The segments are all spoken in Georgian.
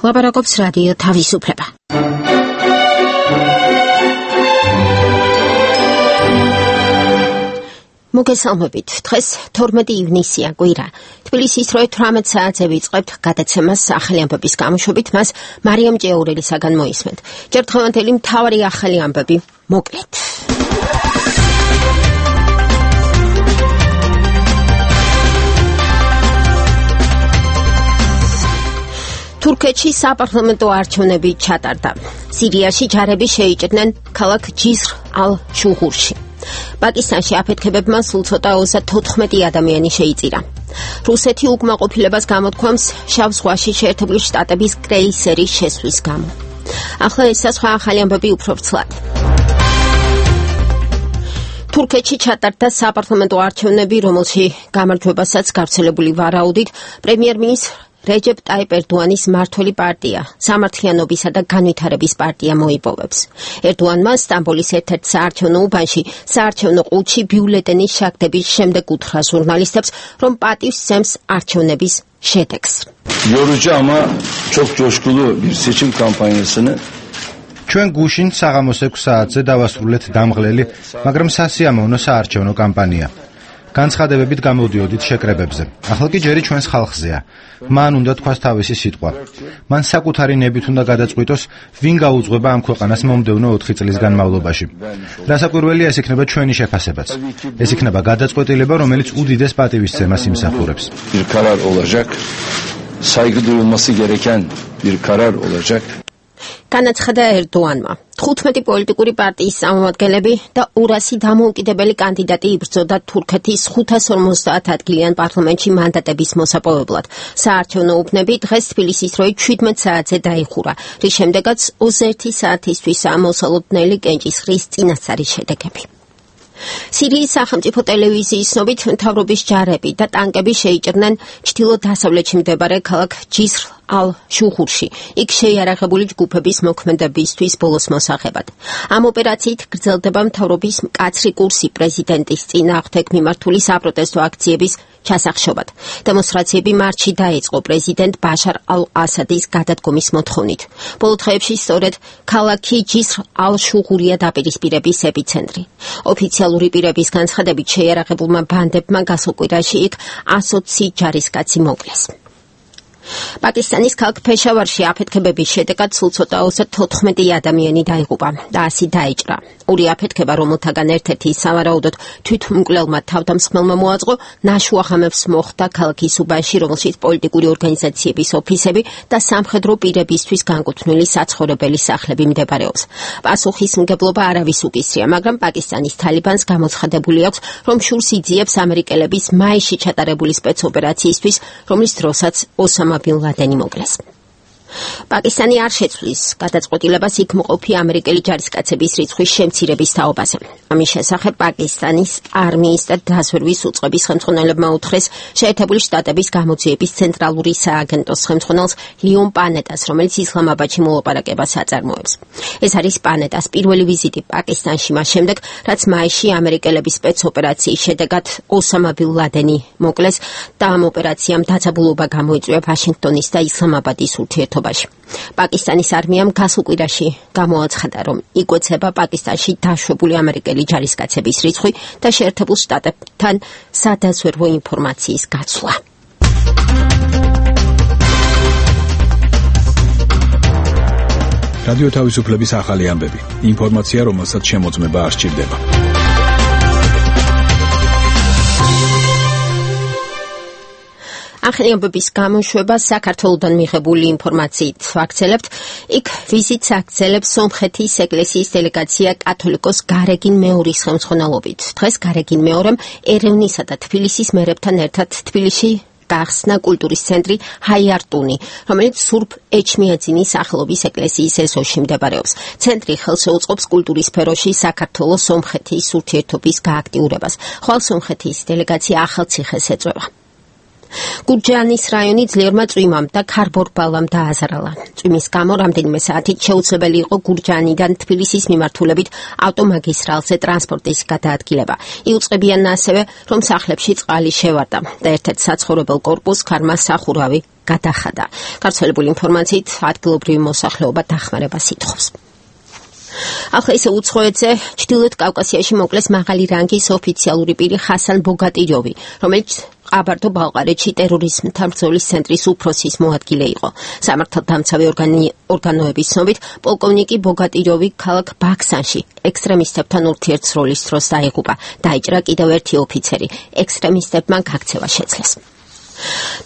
ლაპარაკობს რადიო თავისუფლება. მოგესალმებით. დღეს 12 ივნისია, კვირა. თბილისის 18 საათზე ვიწყებთ გადაცემას ახალი ამბების გამოშვებით, მას მარიამ ჭეურელისაგან მოისმენთ. ჯერ დღევანდელი მთავარი ახალი ამბები მოკლედ. თურქეთში საპარლამენტო არჩევნები ჩატარდა. სირიაში ჯარები შეიჭრნენ ქალაქ ჯისრ ალ-შუღურში. პაკისტანში აფეთქებებმა სულ ცოტა 34 ადამიანი შეიწირა. რუსეთი უკმაყოფილებას გამოთქვამს შავ ზღვაში შეერთებული შტატების კრეისერის შესვლის გამო. ახლა ეს სხვა ახალი ამბები უფრო ვრცლად. თურქეთში ჩატარდა საპარლამენტო არჩევნები, რომელში გამარჯვებასაც გავრცელებული ვარაუდით პრემიერ-მინისტრ რეჯეპ ტაიპ ერდოანის მმართველი პარტია, სამართლიანობისა და განვითარების პარტია მოიპოვებს. ერდოანმა სტამბოლის ერთ-ერთ საარჩევნო უბანში საარჩევნო ყუთში ბიულეტენის შაგდების შემდეგ უთხრა ჟურნალისტებს, რომ პატივს სცემს არჩევნების შედეგს. Yorucu ama çok coşkulu bir seçim kampanyasını ჩვენ გუშინ საღამოს 6 საათზე დავასრულეთ დამღლელი, მაგრამ სასიამოვნო საარჩევნო კამპანია. განცხადებებით გამოდიოდით შეკრებებზე. ახლა კი ჯერი ჩვენს ხალხზეა. მან უნდა თქვას თავისი სიტყვა. მან საკუთარი ნებით უნდა გადაწყვიტოს, ვინ გაუძღვება ამ ქვეყანას მომდევნო 4 წლის განმავლობაში. რასაკვირველია, ეს იქნება ჩვენი შეფასებაც. ეს იქნება გადაწყვეტილება, რომელიც უდიდეს პატივისცემას იმსახურებს. Bir karar olacak. Saygı duyulması gereken bir karar olacak. განაცხადა ერდოანმა. 15 პოლიტიკური პარტიის წარმომადგენლები და 200 დამოუკიდებელი კანდიდატი იბრძოდა თურქეთის 550 ადგილიან პარლამენტში მანდატების მოსაპოვებლად. საარჩევნო უბნები დღეს თბილისის დროით 17 საათზე დაიხურა, რის შემდეგაც 21 საათისთვის ამოსალოდნელი კენჭისყრის წინასწარი შედეგები. სირიის სახელმწიფო ტელევიზიის ცნობით, მთავრობის ჯარები და ტანკები შეიჭრნენ ჩრდილო-დასავლეთში მდებარე ქალაქ ჯისრ ალ-შუღურში, იქ შეიარაღებული ჯგუფების მოქმედებისთვის ბოლოს მოსაღებად. ამ ოპერაციით გრძელდება მთავრობის მკაცრი კურსი პრეზიდენტის წინააღმდეგ მიმართული საპროტესტო აქციების ჩასახშობად. დემონსტრაციები მარტში დაიწყო პრეზიდენტ ბაშარ ალ-ასადის გადადგომის მოთხოვნით. ბოლო დღეებში სწორედ ქალაქი ჯისრ ალ-შუღურია დაპირისპირების ეპიცენტრი. ოფიციალური პირების განცხადებით, შეიარაღებულმა ბანდებმა გასულ კვირაში იქ 120 ჯარისკაცი მოკლეს. პაკისტანის ქალაქ ფეშავარში აფეთქებების შედეგად სულ ცოტა 34 ადამიანი დაიღუპა და 100 დაიჭრა. ორი აფეთქება, რომელთაგან ერთ-ერთი სავარაუდოდ თვითმკვლელმა თავდამსხმელმა მოაწყო, ნაშუაღამებს მოხდა ქალაქის უბანში, რომელშიც პოლიტიკური ორგანიზაციების ოფისები და სამხედრო პირებისთვის განკუთვნილი საცხოვრებელი სახლები მდებარეობს. პასუხისმგებლობა არავის უკისრია, მაგრამ პაკისტანის თალიბანს გამოცხადებული აქვს, რომ შურს იძიებს ამერიკელების მაისში ჩატარებული სპეცოპერაციისთვის, რომლის დროსაც ოსამა ბინ ლადენი მოკლეს. პაკისტანი არ შეცვლის გადაწყვეტილებას იქ მყოფი ამერიკელი ჯარისკაცების რიცხვის შემცირების თაობაზე. ამის შესახებ პაკისტანის არმიის და დაზვერვის უწყების ხელმძღვანელებმა უთხრეს შეერთებული შტატების გამოძიების ცენტრალური სააგენტოს ხელმძღვანელს ლიონ პანეტას, რომელიც ისლამაბადში მოლაპარაკებას აწარმოებს. ეს არის პანეტას პირველი ვიზიტი პაკისტანში მას შემდეგ, რაც მაისში ამერიკელების სპეცოპერაციის შედეგად ოსამა ბინ ლადენი მოკლეს და ამ ოპერაციამ დაძაბულობა გამოიწვია ვაშინგტონის და ისლამაბადის ურთიერთობებში. პაკისტანის არმიამ გასულ კვირაში გამოაცხადა, რომ იკვეცება პაკისტანში დაშვებული ამერიკელი ჯარისკაცების რიცხვი და შეერთებულ შტატებთან სადაზვერვო ინფორმაციის გაცვლა. რადიო თავისუფლების ახალი ამბები. ინფორმაცია, რომელსაც შემოწმება არ სჭირდება. ახალი ამბების გამოშვება საქართველოდან მიღებული ინფორმაციით ვაგრძელებთ. იქ ვიზიტს აგრძელებს სომხეთის ეკლესიის დელეგაცია კათოლიკოს გარეგინ მეორის ხელმძღვანელობით. დღეს გარეგინ მეორემ ერევნისა და თბილისის მერებთან ერთად თბილისში გახსნა კულტურის ცენტრი ჰაიარტუნი, რომელიც სურბ ეჩმიაძინის სახელობის ეკლესიის ეზოში მდებარეობს. ცენტრი ხელს შეუწყობს კულტურის სფეროში საქართველოს-სომხეთის ურთიერთობის გააქტიურებას. ხვალ სომხეთის დელეგაცია ახალციხეს ეწვევა. გურჯაანის რაიონი ძლიერმა წვიმამ და ქარბორბალამ დააზარალა. წვიმის გამო რამდენიმე საათით შეუძლებელი იყო გურჯაანიდან თბილისის მიმართულებით ავტომაგისტრალზე ტრანსპორტის გადაადგილება. იუწყებიან ასევე, რომ სახლებში წყალი შევარდა და ერთ-ერთ საცხოვრებელ კორპუსს ქარმა სახურავი გადახადა. გავრცელებული ინფორმაციით ადგილობრივი მოსახლეობა დახმარებას ითხოვს. ახლა ისე უცხოეთზე ჩრდილოეთ კავკასიაში მოკლეს მაღალი რანგის ოფიციალური პირი ხასან ბოგატიროვი, რომელიც ყაბარდო-ბალყარეთში ტერორიზმთან ბრძოლის ცენტრის უფროსის მოადგილე იყო. სამართალდამცავი ორგანოების ცნობით, პოლკოვნიკი ბოგატიროვი ქალაქ ბაქსანში ექსტრემისტებთან ურთიერთსროლის დროს დაიღუპა. დაიჭრა კიდევ ერთი ოფიცერი. ექსტრემისტებმა გაქცევა შეძლეს.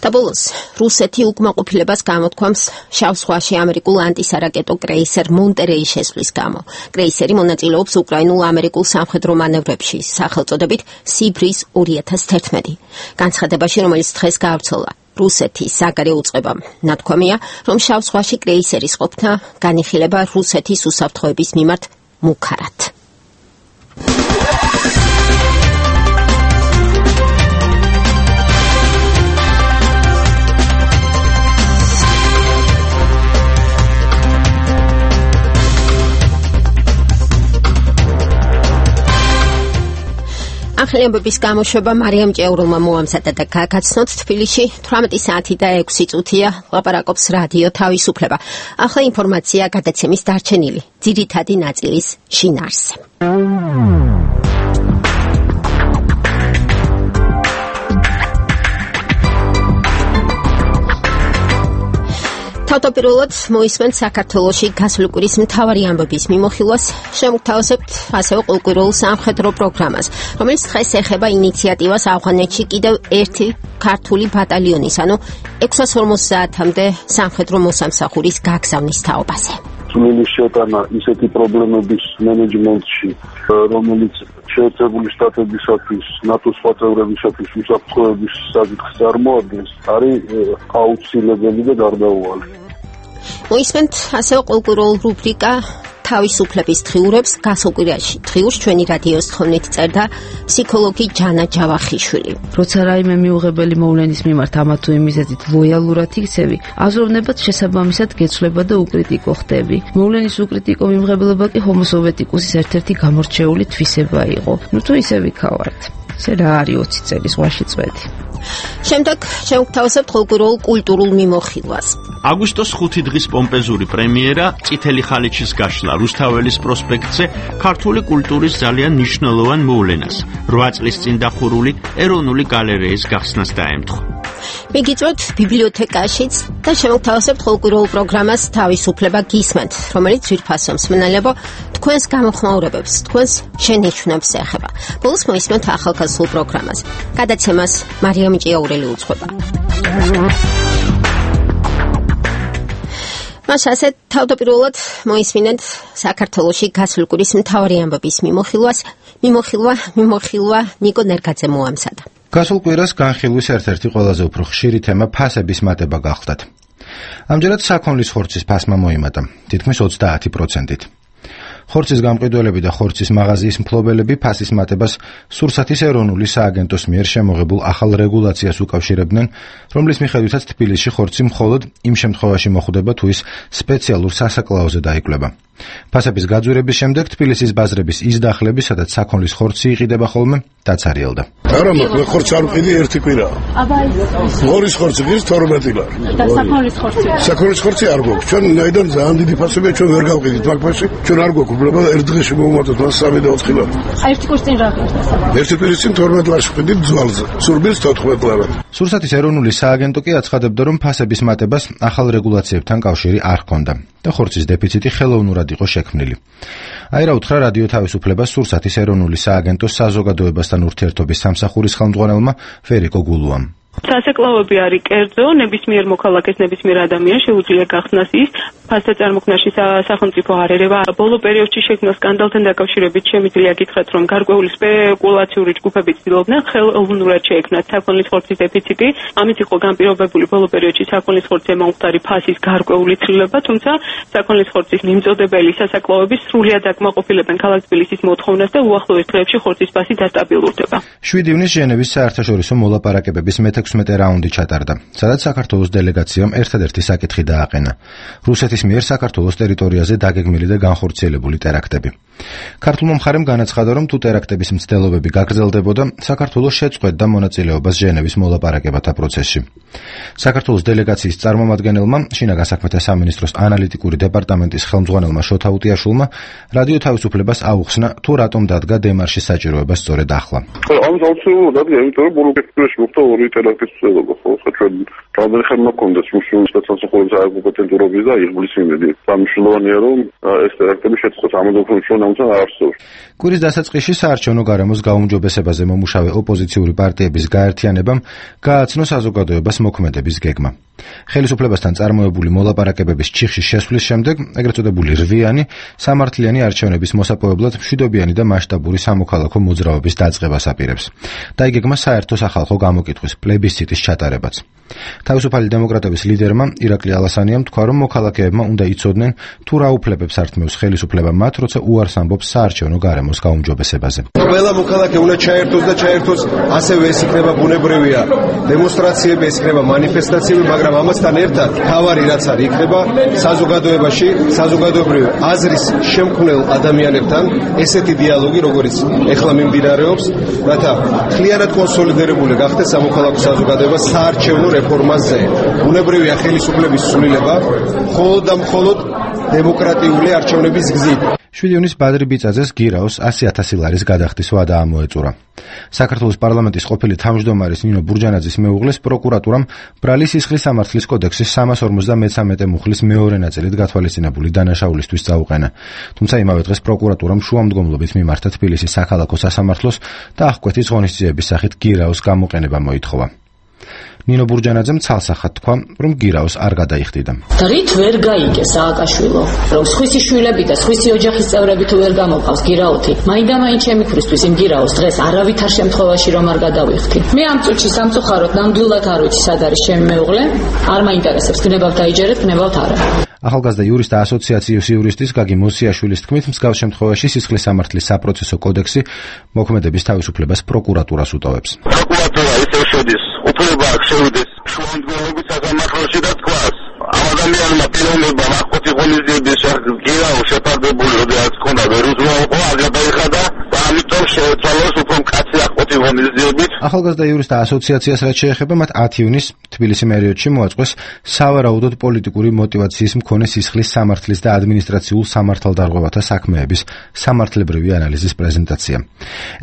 და ბოლოს, რუსეთი უკმაყოფილებას გამოთქვამს შავ ზღვაში ამერიკულ ანტისარაკეტო კრეისერ მონტერეის შესვლის გამო. კრეისერი მონაწილეობს უკრაინულ-ამერიკულ სამხედრო მანევრებში, სახელწოდებით სიბრის 2011. განცხადებაში, რომელიც დღეს გავრცელდა რუსეთის საგარეო უწყებამ, ნათქვამია, რომ შავ ზღვაში კრეისერის ყოფნა განიხილება რუსეთის უსაფრთხოების მიმართ მუქარად. ახალი ამბების გამოშვება მარიამ ჭეურულმა მოამზადა და გაგაცნოთ. თბილისში 18 საათი და 6 წუთია ლაპარაკობს რადიო თავისუფლება. ახლა ინფორმაცია გადაცემის დარჩენილი ძირითადი ნაწილის შინაარსზე. თავდაპირველად მოისმენთ საქართველოში გასული კვირის მთავარი ამბების მიმოხილვას, შემოგთავაზებთ ასევე ყოველკვირეულ სამხედრო პროგრამას, რომელიც დღეს ეხება ინიციატივას ავღანეთში კიდევ ერთი ქართული ბატალიონის, ანუ 650-მდე სამხედრო მოსამსახურის გაგზავნის თაობაზე. წვლილი შეტანა ისეთი პრობლემების მენეჯმენტში, რომელიც შეერთებული შტატებისათვის, ნატოს სხვა წევრებისათვის უსაფრთხოების საკითხს წარმოადგენს, არის აუცილებელი და გარდაუვალი. მოისმენთ ასევე ყოველკვირეულ რუბრიკა თავისუფლების დღიურებს. გასულ კვირაში დღიურს ჩვენი რადიოს თხოვნით წერდა ფსიქოლოგი ჯანა ჯავახიშვილი. როცა რაიმე მიუღებელი მოვლენის მიმართ ამა თუ იმ მიზეზით ლოიალურად იქცევი, აზროვნებად შესაბამისად გეცვლება და უკრიტიკო ხდები. მოვლენის უკრიტიკო მიმღებლობა კი ჰომო სოვიეტიკუსის ერთ-ერთი გამორჩეული თვისება იყო. ნუ თუ ისე ვიქავართ. ესე რა არის 20 წელი ზღვაში წვედი. შემდეგ შევგთავაზებთ ყოველკვირეულ კულტურულ მიმოხილვას. აგვისტოს 5 დღის პომპეზური პრემიერა წითელი ხალიჩის გაშლა რუსთაველის პროსპექტზე ქართული კულტურის ძალიან მნიშვნელოვან მოვლენას 8 წლის წინ დახურული ეროვნული გალერეის გახსნას დაემთხვა. მიგიწვევთ ბიბლიოთეკაშიც და შევგთავაზებთ ყოველკვირეულ პროგრამას თავისუფლება გისმენთ, რომელიც ძვირფასო მსმენელებო თქვენს გამოხმაურებებს, თქვენს შენიშვნებს ეხება. ბოლოს მოისმენთ ახალგაზრდულ პროგრამას. გადაცემას მარიამ ჭეაურელი უძღვება. მას ასე თავდაპირველად მოისმინეთ საქართველოში გასული კვირის მთავარი ამბების მიმოხილვა ნიკო ნერგაძე მოამზადა. გასულ კვირას განხილვის ერთ-ერთი ყველაზე უფრო ხშირი თემა ფასების მატება გახლდათ. ამჯერად საქონლის ხორცის ფასმა მოიმატა, თითქმის 30%-ით. ხორცის გამყიდველები და ხორცის მაღაზიის მფლობელები ფასის მატებას სურსათის ეროვნული სააგენტოს მიერ შემოღებულ ახალ რეგულაციას უკავშირებდნენ, რომლის მიხედვითაც თბილისში ხორცი მხოლოდ იმ შემთხვევაში მოხვდება, თუ ის სპეციალურ სასაკლაოზე დაიკვლება. ფასების გაძვირების შემდეგ თბილისის ბაზრების ის დახლები, სადაც საქონლის ხორცი იყიდება ხოლმე, დაცარიელდა. არა, მაგრამ ხორცი არ ვყიდი ერთი კვირა. ღორის ხორცი გის 12 ლარი. და საქონლის ხორცი? საქონლის ხორცი არ გვაქვს. ჩვენ ნაიდან ძალიან დიდი ფასებია, ჩვენ ვერ გავყიდით მაგ ფასში. ჩვენ არ გვაქვს უბრალოდ ერთ დღეში მოვუმატოთ მას 3 და 4 ლარი. ერთი კვირის წინ რა ხდება? ერთი კვირის წინ 12 ლარში ვყიდით ძვალზე. სურბილს 14 ლარი. სურსათის ეროვნული სააგენტო კი აცხადებდა, რომ ფასების მატებას ახალ რეგულაციებთან კავშირი არ ჰქონდა და ხორცის დეფიციტი ხელოვნურად იყო შექმნილი. აი რა უთხრა რადიო თავისუფლებას სურსათის ეროვნული სააგენტოს საზოგადოებასთან ურთიერთობის სამსახურის ხელმძღვანელმა ვერიკო გულუამ. სასაკლაოები არის კერძო, ნებისმიერ მოქალაქეს, ნებისმიერ ადამიანს შეუძლია გახსნას ის ფასთა წარმოქმნაში სახელმწიფო არ ერევა. ბოლო პერიოდში შექმნილ სკანდალთან დაკავშირებით შემიძლია გითხრათ, რომ გარკვეული სპეკულაციური ჯგუფები ცდილობდნენ ხელოვნურად შეექმნათ საქონლის ხორცის დეფიციტი. ამით იყო განპირობებული ბოლო პერიოდში საქონლის ხორცის მომხდარი ფასის გარკვეული ცვლილება, თუმცა საქონლის ხორცის მიმწოდებელი სასაკლაოები სრულად აკმაყოფილებენ ქალაქ თბილისის მოთხოვნას და უახლოეს დღეებში ხორცის ფასი დასტაბილურდება. 7 ივნისს ჟენევის საერთაშორისო მოლაპარაკებების მე-16 რაუნდი ჩატარდა, სადაც საქართველოს დელეგაციამ ერთადერთი საკითხი დააყენა: რუსეთის მიერ საქართველოს ტერიტორიაზე დაგეგმილი და განხორციელებული ტერაქტები. ქართულმა მხარემ განაცხადა, რომ თუ ტერაქტების მცდელობები გაგრძელდებოდა, საქართველოს შეწყვეტდა მონაწილეობას ჟენევის მოლაპარაკებათა პროცესში. საქართველოს დელეგაციის წარმომადგენელმა, შინაგან საქმეთა სამინისტროს ანალიტიკური დეპარტამენტის ხელმძღვანელმა შოთა უტიაშვილმა რადიო თავისუფლებას აუხსნა, თუ რატომ დადგა დემარშის საჭიროება სწორედ ახლა. ამის აუცილებლად დადგა, იმიტომ რომ ბოლო კეთილში მოხდა ორი ტერაქტის მცდელობა, ხო? ჩვენ რამდენი ხანი მაქონდა რუსეთის სასამართლოს საკომპეტენტურობის და იღბლის იმედი. სამშობლოვანია, რომ ეს ტერაქტები შეწყოს ამოდოქროჩონ ამთან არსებობს. კვირის დასაწყისში საარჩევნო გარემოს გაუმჯობესებაზე მომუშავე ოპოზიციური პარტიების გაერთიანებამ გააცნო საზოგადოებას მოქმედების გეგმა. ხელისუფლებასთან წარმოებული მოლაპარაკებების ჩიხში შესვლის შემდეგ, ეგრეთ წოდებული რვიანი, სამართლიანი არჩევნების მოსაპოვებლად მშვიდობიანი და მასშტაბური სამოქალაქო მოძრაობის დაწყებას აპირებს. და იგეგმა საერთო სახალხო გამოკითხვის პლებისციტის ჩატარებაც. თავისუფალი დემოკრატების ლიდერმა ირაკლი ალასანიამ თქვა, რომ მოქალაქეებმა უნდა იცოდნენ, თუ რა უფლებებს ართმევს ხელისუფლება მათ, როცა უარს ამბობს საარჩევნო გარემოს გაუმჯობესებაზე. ყველა მოქალაქე უნდა ჩაერთოს და ჩაერთოს, ასევე ეს იქნება ბუნებრივია დემონსტრაციები, ეს იქნება მანიფესტაციები, მაგრამ ამასთან ერთად თავარი რაც არის იქნება საზოგადოებაში, საზოგადოებრივი აზრის შემქმნელ ადამიანებთან ესეთი დიალოგი, როგორც ეხლა მიმდინარეობს, რათა ხლიანად კონსოლიდირებული გახდეს სამოქალაქო საზოგადოება საარჩევნო რეფორმაზე. ბუნებრივია ხელისუფლების სრულება მხოლოდ და მხოლოდ დემოკრატიული არჩევნების გზით. 7 ივნის ბადრი ბიწაძეს გირაოს 100,000 ლარის გადახდის ვადა ამოეწურა. საქართველოს პარლამენტის ყოფილი თავმჯდომარის ნინო ბურჯანაძის მეუღლეს პროკურატურამ ბრალი სისხლის სამართლის კოდექსის 353 მუხლის მეორე ნაწილით გათვალისწინებული დანაშაულისთვის წაუყენა. თუმცა იმავე დღეს პროკურატურამ შუამდგომლობით მიმართა თბილისის საქალაქო სასამართლოს და აღკვეთის ღონისძიების სახით გირაოს გამოყენება მოითხოვა. ნინო ბურჯანაძემ ცალსახად თქვა, რომ გირაოს არ გადაიხდიდა. რით ვერ გაიგე სააკაშვილო, რომ სხვისი შვილები და სხვისი ოჯახის წევრები თუ ვერ გამოყავს გირაოთი, მაინდა-მაინც შემიქრის იმ გირაოს დღეს არავითარ შემთხვევაში რომ არ გადავიხდი. მე ამ წუთში სამწუხაროდ ნამდვილად არ ვიცი სად არის ჩემი მეუღლე, არ მაინტერესებს გნებავთ დაიჯერეთ, გნებავთ არა. ახალგაზრდა იურისტთა ასოციაციის იურისტის გაგი მოსიაშვილის თქმით, მსგავს შემთხვევაში სისხლის სამართლის საპროცესო კოდექსი მოქმედების თავისუფლებას პროკურატურას უტოვებს. პროკურატურა ისევ შედის უფლება აქვს შევიდეს შუამდგომლობის სასამართლოში და თქვას ამ ადამიანმა პიროვნებამ აღკვეთი ღონისძიების შესახებ გირაოს შეფარდებული როდესაც ჰქონდა ვერ უზრუნველყო არ გადაიხადა და ამიტომ შეეცვალოს უფრო მკაცრი აღკვეთი ღონისძიებით. ახალგაზრდა იურისტთა ასოციაციას რაც შეეხება, მათ 10 ივნის თბილისი პერიოდში მოაწყვეს სავარაუდოდ პოლიტიკური მოტივაციის მქონე სისხლის სამართლის და ადმინისტრაციულ სამართალდარღვევათა საქმეების სამართლებრივი ანალიზის პრეზენტაცია.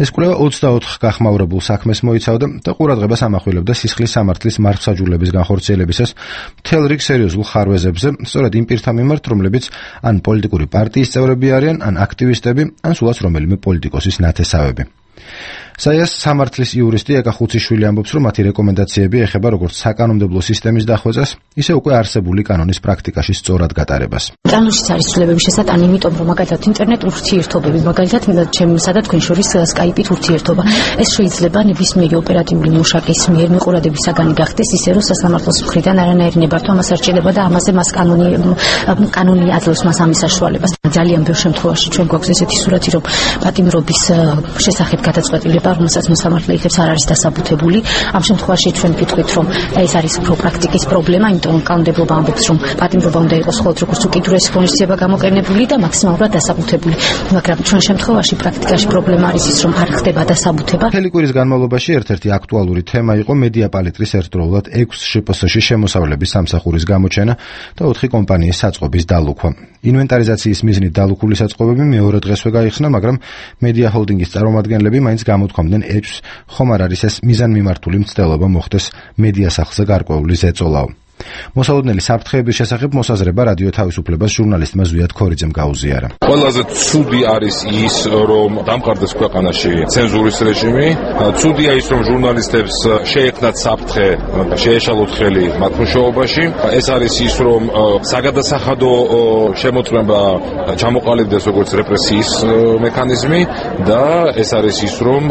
ეს კვლევა 24 გახმაურებულ საქმეს მოიცავდა და ყურადღებას ამახვილებდა სისხლის სამართლის მართლმსაჯულების განხორციელებისას მთელ რიგ სერიოზულ ხარვეზებზე, სწორედ იმ პირთა მიმართ, რომლებიც ან პოლიტიკური პარტიის წევრები არიან, ან აქტივისტები, ან სულაც რომელიმე პოლიტიკოსის ნათესავები. საიას სამართლის იურისტი ეკა ხუციშვილი ამბობს, რომ მათი რეკომენდაციები ეხება როგორც საკანონმდებლო სისტემის დახვეწას, ისე უკვე არსებული კანონის პრაქტიკაში სწორად გატარებას. კანონშიც არის ცვლილებების შესატანი, იმიტომ რომ მაგალითად ინტერნეტ ურთიერთობები, მაგალითად ჩემსა და თქვენ შორის სკაიპით ურთიერთობა, ეს შეიძლება ნებისმიერი ოპერატიული მუშაკის მიერ მიყურადების საგანი გახდეს, ისე რომ სასამართლოს მხრიდან არანაირი ნებართვა მას არ შეიძლება და ამაზე მას კანონი აძლევს მას ამის საშუალებას. ძალიან ბევრ შემთხვევაში ჩვენ გვაქვს ესეთი სურათი, რომ პატიმრობის შესახებ გადაწყვეტილება, რომელსაც მოსამართლე იღებს, არ არის დასაბუთებული. ამ შემთხვევაში ჩვენ ვიტყვით, რომ ეს არის უფრო პრაქტიკის პრობლემა, იმიტომ რომ კანონმდებლობა ამბობს, რომ პატიმრობა უნდა იყოს მხოლოდ როგორც უკიდურესი ღონისძიება გამოყენებული და მაქსიმალურად დასაბუთებული. მაგრამ ჩვენ შემთხვევაში პრაქტიკაში პრობლემა არის ის, რომ არ ხდება დასაბუთება. მთელი კვირის განმავლობაში ერთ-ერთი აქტუალური თემა იყო მედია პალიტრის ერთდროულად 6 შპს-ში შემოსავლების სამსახურის გამოჩენა და 4 კომპანიის საწყობის დალუქვა. ინვენტარიზაციის მიზნით დალუქული საწყობები მეორე დღესვე გაიხსნა, მაგრამ მედია ჰოლდინგის წარმომადგენლები მაინც გამოთქვამდნენ ეჭვს, ხომ არ არის ეს მიზანმიმართული მცდელობა მოხდეს მედია სახლზე გარკვეული ზეწოლაო. მოსალოდნელი საფრთხეების შესახებ მოსაზრება რადიო თავისუფლებას ჟურნალისტმა ზვიად ქორიძემ გაუზიარა. ყველაზე ცუდი არის ის, რომ დამყარდეს ქვეყანაში ცენზურის რეჟიმი. ცუდია ის, რომ ჟურნალისტებს შეექმნათ საფრთხე, შეეშალოთ ხელი მათ მუშაობაში. ეს არის ის, რომ საგადასახადო შემოწმება ჩამოყალიბდეს როგორც რეპრესიის მექანიზმი და ეს არის ის, რომ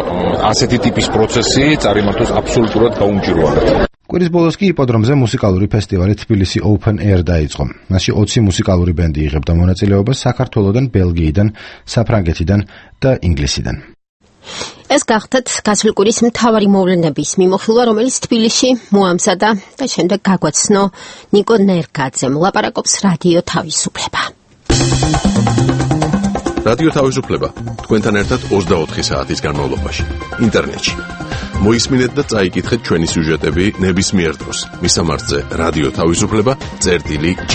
ასეთი ტიპის პროცესი წარიმართოს აბსოლუტურად გაუმჭირვალედ. კვირის ბოლოს კი იპოდრომზე მუსიკალური ფესტივალი თბილისი Open Air დაიწყო. მასში 20 მუსიკალური ბენდი იღებდა მონაწილეობას საქართველოდან, ბელგიიდან, საფრანგეთიდან და ინგლისიდან. ეს გახდათ გასული კვირის მთავარი მოვლენების მიმოხილვა, რომელიც თბილისში მოამზადა და შემდეგ გაგვაცნო ნიკო ნერგაძემ. ლაპარაკობს რადიო თავისუფლება. რადიო თავისუფლება თქვენთან ერთად 24 საათის განმავლობაში ინტერნეტში. მოისმინეთ და წაიკითხეთ ჩვენი სიუჟეტები ნებისმიერ დროს. მისამართზე რადიო თავისუფლება.g.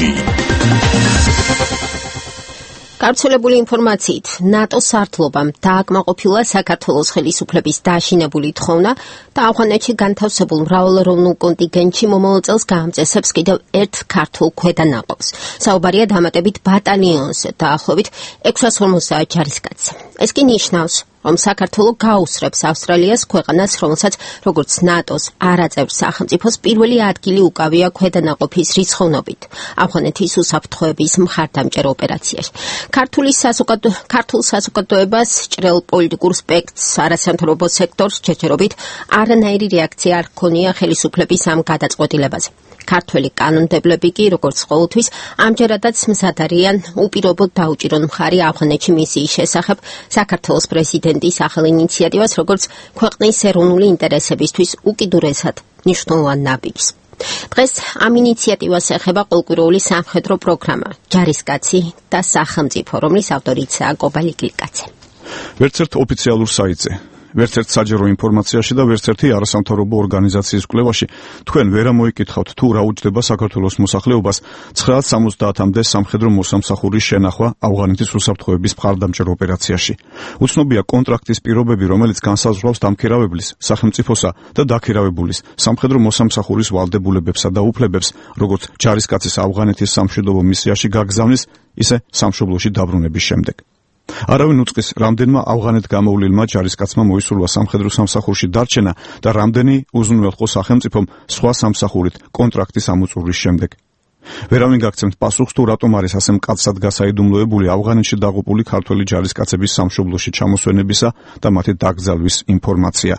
გავრცელებული ინფორმაციით, ნატოს სარდლობამ დააკმაყოფილა საქართველოს ხელისუფლების დაშინებული თხოვნა და ავღანეთში განთავსებულ მრავალეროვნულ კონტინგენტში მომავალ წელს გაამწესებს კიდევ ერთ ქართულ ქვედანაყოფს. საუბარია დამატებით ბატალიონზე, დაახლოებით 650 ჯარისკაცს. ეს კი ნიშნავს, რომ საქართველო გაუსწრებს ავსტრალიას, ქვეყანას, რომელსაც როგორც ნატოს არაწევრ სახელმწიფოს პირველი ადგილი უკავია ქვედანაყოფის რიცხოვნობით ავღანეთის უსაფრთხოების მხარდამჭერ ოპერაციაში. ქართულ საზოგადოებას, ჭრელ პოლიტიკურ სპექტრს, არასამთავრობო სექტორს ჯერჯერობით არანაირი რეაქცია არ ჰქონია ხელისუფლების ამ გადაწყვეტილებაზე. ქართველი კანონმდებლები კი, როგორც ყოველთვის, ამჯერადაც მზად არიან უპირობოდ დაუჭირონ მხარი ავღანეთში მისიის შესახებ საქართველოს პრეზიდენტის ახალ ინიციატივას, როგორც ქვეყნის ეროვნული ინტერესებისთვის უკიდურესად მნიშვნელოვან ნაბიჯს. დღეს ამ ინიციატივას ეხება ყოველკვირეული სამხედრო პროგრამა ჯარისკაცი და სახელმწიფო, რომლის ავტორიცაა კობალი გლიკაძე. ვერც ერთ ოფიციალურ საიტზე, ვერც ერთ საჯარო ინფორმაციაში და ვერც ერთი არასამთავრობო ორგანიზაციის კვლევაში თქვენ ვერ ამოიკითხავთ თუ რა უჯდება საქართველოს მოსახლეობას 970-მდე სამხედრო მოსამსახურის შენახვა ავღანეთის უსაფრთხოების მხარდამჭერ ოპერაციაში. უცნობია კონტრაქტის პირობები, რომელიც განსაზღვრავს დამქირავებლის, სახელმწიფოსა და დაქირავებულის სამხედრო მოსამსახურის ვალდებულებებსა და უფლებებს, როგორც ჯარისკაცის ავღანეთის სამშვიდობო მისიაში გაგზავნის, ისე სამშობლოში დაბრუნების შემდეგ. არავინ უწყის, რამდენმა ავღანეთ გამოვლილმა ჯარისკაცმა მოისურვა სამხედრო სამსახურში დარჩენა და რამდენი უზრუნველყო სახელმწიფომ სხვა სამსახურით კონტრაქტის ამოწურვის შემდეგ. ვერავინ გაგცემთ პასუხს, თუ რატომ არის ასე მკაცრად გასაიდუმლოებული ავღანეთში დაღუპული ქართველი ჯარისკაცების სამშობლოში ჩამოსვენებისა და მათი დაკრძალვის ინფორმაცია.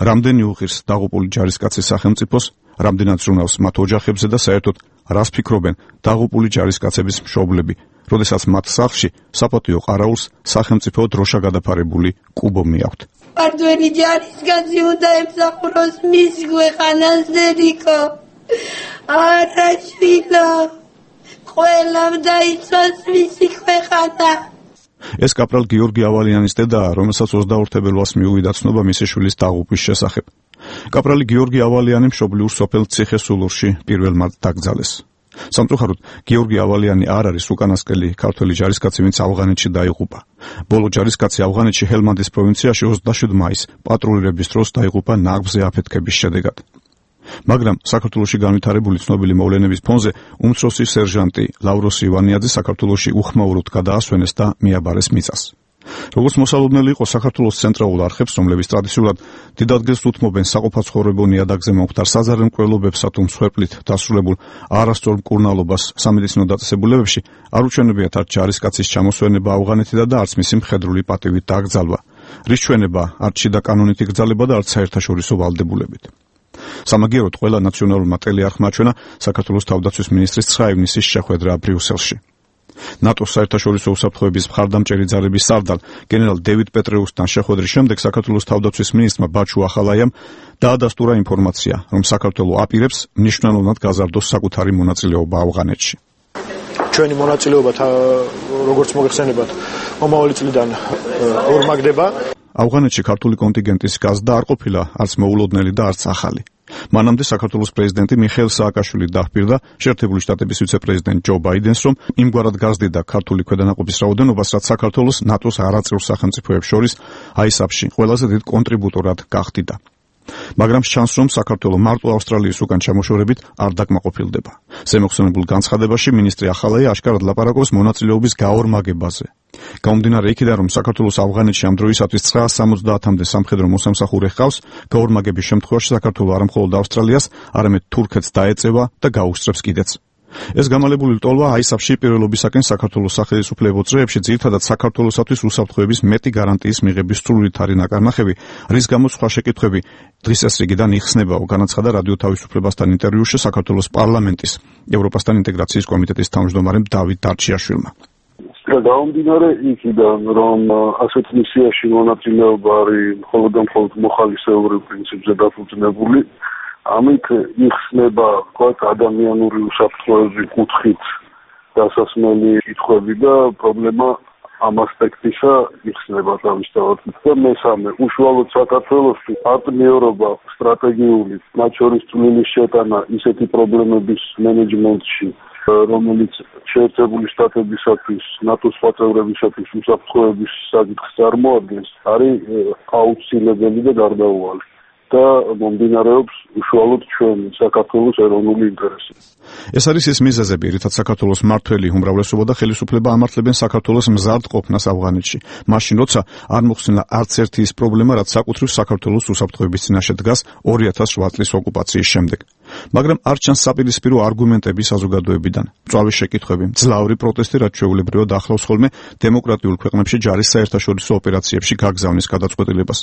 რამდენი უღირს დაღუპული ჯარისკაცის სახელმწიფოს, რამდენად ზრუნავს მათ ოჯახებზე და საერთოდ რას ფიქრობენ დაღუპული ჯარისკაცების მშობლები, როდესაც მათ სახლში საპატიო ყარაულს სახელმწიფო დროშა გადაფარებული კუბო მიაქვთ. ქართველი ჯარისკაცი უნდა ემსახუროს მის ქვეყანას დედიკო. არა შვილო, ყველამ დაიცვას მისი ქვეყანა. ეს კაპრალ გიორგი ავალიანის დედაა, რომელსაც 21 თებერვალს მიუვიდა ცნობა მისი შვილის დაღუპვის შესახებ. კაპრალი გიორგი ავალიანი მშობლიურ სოფელ ციხესულურში პირველმად დაკრძალეს. სამწუხაროდ, გიორგი ავალიანი არ არის უკანასკნელი ქართველი ჯარისკაცი, ვინც ავღანეთში დაიღუპა. ბოლო ჯარისკაცი ავღანეთში ჰელმანდის პროვინციაში 27 მაისს პატრულირების დროს დაიღუპა ნაგვზე აფეთქების შედეგად. მაგრამ საქართველოში განვითარებული ცნობილი მოვლენების ფონზე უმცროსი სერჟანტი ლავროსი ივანიაძე საქართველოში უხმაუროდ გადაასვენეს და მიაბარეს მიწას. როგორც მოსალოდნელი იყო საქართველოს ცენტრალურ არხებს, რომლებიც ტრადიციულად დიდ ადგილს უთმობენ საყოფაცხოვრებო ნიადაგზე მომხდარ საზარე მკვლელობებსა თუ მსხვერპლით დასრულებულ არასწორ მკურნალობას სამედიცინო დაწესებულებებში, არ უჩვენებიათ არც ჯარისკაცის ჩამოსვენება ავღანეთიდან და არც მისი მხედრული პატივით დაკრძალვა, რის ჩვენება არც შიდა კანონით იგრძალება და არც საერთაშორისო ვალდებულებით. სამაგიეროდ ყველა ნაციონალურმა ტელეარხმა აჩვენა საქართველოს თავდაცვის მინისტრის 9 ივნისის შეხვედრა ბრიუსელში. ნატოს საერთაშორისო უსაფრთხოების მხარდამჭერი ძალების სარდალ გენერალ დევიდ პეტრეუსთან შეხვედრის შემდეგ საქართველოს თავდაცვის მინისტრმა ბაჩუ ახალაიამ დაადასტურა ინფორმაცია, რომ საქართველო აპირებს მნიშვნელოვნად გაზარდოს საკუთარი მონაწილეობა ავღანეთში. ჩვენი მონაწილეობა, როგორც მოგეხსენებათ, მომავალი წლიდან ორმაგდება. ავღანეთში ქართული კონტინგენტის გაზრდა არ ყოფილა არც მოულოდნელი და არც ახალი. მანამდე საქართველოს პრეზიდენტი მიხეილ სააკაშვილი დაჰპირდა შეერთებული შტატების ვიცე-პრეზიდენტ ჯო ბაიდენს, რომ იმგვარად გაზრდიდა ქართული ქვედანაყოფის რაოდენობას, რაც საქართველოს ნატოს არაწევრ სახელმწიფოებს შორის აისაფში ყველაზე დიდ კონტრიბუტორად გახდიდა. მაგრამ ჩანს, რომ საქართველო მარტო ავსტრალიის უკან ჩამოშორებით არ დაკმაყოფილდება. ზემოხსენებულ განცხადებაში მინისტრი ახალაია აშკარად ლაპარაკობს მონაწილეობის გაორმაგებაზე. გამომდინარე იქიდან, რომ საქართველოს ავღანეთში ამ დროისათვის 970-მდე სამხედრო მოსამსახურე ჰყავს, გაორმაგების შემთხვევაში საქართველო არა მხოლოდ ავსტრალიას, არამედ თურქეთს დაეწევა და გაუსწრებს კიდეც. ეს გამალებული ლტოლვა აისაფში პირველობისაკენ საქართველოს სახელმწიფო წრეებში ძირითადად საქართველოსათვის უსაფრთხოების მეტი გარანტიის მიღების სრულად არის ნაკარნახევი, რის გამოც სხვა შეკითხვები დღის ეს რიგიდან იხსნებაო, განაცხადა რადიო თავისუფლებასთან ინტერვიუში საქართველოს პარლამენტის ევროპასთან ინტეგრაციის კომიტეტის თავმჯდომარემ დავით დარჩიაშვილმა. გამომდინარე იქიდან, რომ ასეთ მისიაში მონაწილეობა არის მხოლოდ და მხოლოდ მოხალისეობრივ პრინციპზე დაფუძნებული, ამით იხსნება თქვათ ადამიანური უსაფრთხოების კუთხით დასასმელი კითხვები და პრობლემა ამ ასპექტისა იხსნება თავისთავად. და მესამე, უშუალოდ საქართველოსთვის პარტნიორობა სტრატეგიული, მათ შორის წვლილის შეტანა ისეთი პრობლემების მენეჯმენტში, რომელიც შეერთებული შტატებისათვის, ნატოს სხვა წევრებისათვის უსაფრთხოების საკითხს წარმოადგენს, არის აუცილებელი და გარდაუვალი. და მომდინარეობს უშუალოდ ჩვენ საქართველოს ეროვნული ინტერესი. ეს არის ის მიზეზები, რითაც საქართველოს მმართველი უმრავლესობა და ხელისუფლება ამართლებენ საქართველოს მზარდ ყოფნას ავღანეთში. მაშინ, როცა არ მოხსნა არც ერთი ის პრობლემა, რაც საკუთრივ საქართველოს უსაფრთხოების წინაშე დგას 2008 წლის ოკუპაციის შემდეგ. მაგრამ არ ჩანს საპირისპირო არგუმენტები საზოგადოებიდან. მწვავე შეკითხვები, ძლავრი პროტესტი, რაც ჩვეულებრივად ახლავს ხოლმე დემოკრატიულ ქვეყნებში ჯარის საერთაშორისო ოპერაციებში გაგზავნის გადაწყვეტილებას.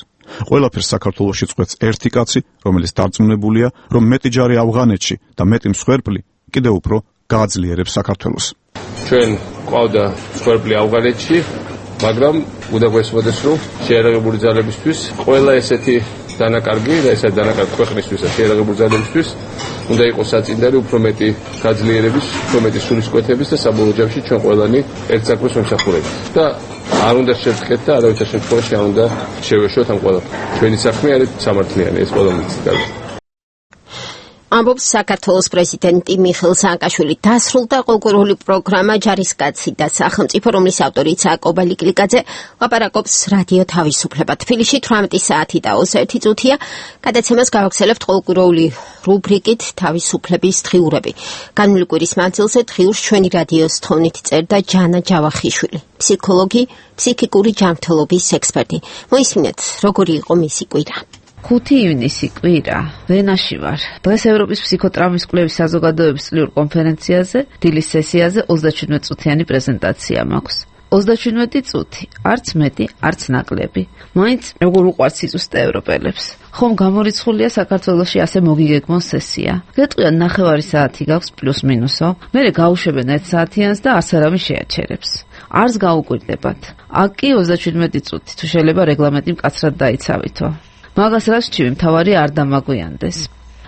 ყველაფერს საქართველოში წყვეტს ერთი კაცი, რომელიც დარწმუნებულია, რომ მეტი ჯარი ავღანეთში და მეტი მსხვერპლი კიდევ უფრო გააძლიერებს საქართველოს. ჩვენ ყავდა მსხვერპლი ავღანეთში, მაგრამ უნდა გვესმოდეს, რომ შეერაღებული ძალებისთვის ყველა ესეთი დანაკარგი და ესეთი დანაკარგი ქვეყნისთვის და შეერაღებული ძალებისთვის უნდა იყოს საწინდარი უფრო მეტი გაძლიერების, უფრო მეტი სულისკვეთების და საბოლოო ჯამში ჩვენ ყველანი ერთ საქმეს ვემსახურებით. და არ უნდა შევწყვეტ და არავითარ შემთხვევაში არ უნდა შევეშოთ ამ ყველაფერს. ჩვენი საქმე არის სამართლიანი, ეს ყველა მიცდავს. ამბობს საქართველოს პრეზიდენტი მიხეილ სააკაშვილი. დასრულდა კულტურული პროგრამა ჯარისკაცი და სახელმწიფო, რომლის ავტორიც აკობალი კლიკაძე, ლაპარაკობს რადიო თავისუფლება. თბილისში 18 საათი და 21 წუთია. გადაცემას გავაგრძელებთ კულტურული რუბრიკით თავისუფლების დღიურები. განვლილი კვირის მანძილზე დღიურს ჩვენი რადიოს თოვნით წერდა ჯანა ჯავახიშვილი, ფსიქოლოგი, ფსიქიკური ჯანმრთელობის ექსპერტი. მოისმინეთ, როგორი იყო მისი კვირა. 5 ივნისი კვირა, ვენაში ვარ. დღეს ევროპის ფსიქოტრაუმის კვლევის საზოგადოების წლიურ კონფერენციაზე, დილის სესიაზე 37 წუთიანი პრეზენტაცია მაქვს. 37 წუთი, არც მეტი, არც ნაკლები. მაინც როგორ უყვართ სიწუსტე ევროპელებს. ხომ გამორიცხულია საქართველოში ასე მოგიგეგმონ სესია. გეტყვიან 9 საათი გაქვს პლუს მინუსო, მერე გაუშვებენ 1 საათიანს და არც არავინ შეაჩერებს. არც გაუკვირდებათ. აქ კი 37 წუთი, თუ შეიძლება რეგლამენტი მკაცრად დაიცავითო. მაგას რაც ჩივი მთავარი არ დამაგვიანდეს.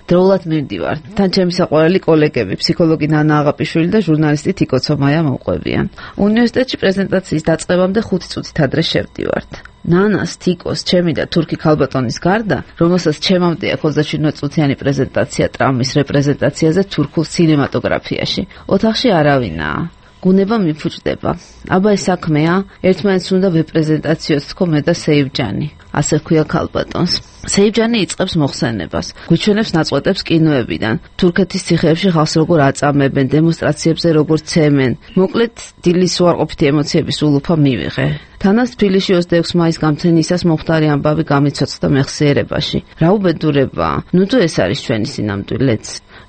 დროულად მივდივარ. თან ჩემი საყვარელი კოლეგები, ფსიქოლოგი ნანა აღაპიშვილი და ჟურნალისტი თიკო ცომაია მოყვებიან. უნივერსიტეტში პრეზენტაციის დაწყებამდე 5 წუთით ადრე შევდივართ. ნანას, თიკოს, ჩემი და თურქი ქალბატონის გარდა, რომელსაც ჩემამდე აქვს 27 წუთიანი პრეზენტაცია ტრამვის რეპრეზენტაციაზე თურქულ კინემატოგრაფიაში. ოთახში არავინაა. გუნება მიფუჭდება. აბა ეს საქმეა, ერთმანეთს უნდა ვეპრეზენტაციოთ თქო მე და სეივჯანი. ასე ხქვია ქალბატონს. სეივჯანი იწყებს მოხსენებას. გვიჩვენებს ნაწყვეტებს კინოებიდან. თურქეთის ციხეებში ხალხს როგორ აწამებენ, დემონსტრაციებზე როგორ ცემენ. მოკლედ, დილის უარყოფითი ემოციების ულუფა მივიღე. თანაც თბილისში 26 მაისს გამთენისას მომხდარი ამბავი გამიცოცხლდა მეხსიერებაში. რა უბედურებაა. ნუ თუ ეს არის ჩვენი სინამდვილეც.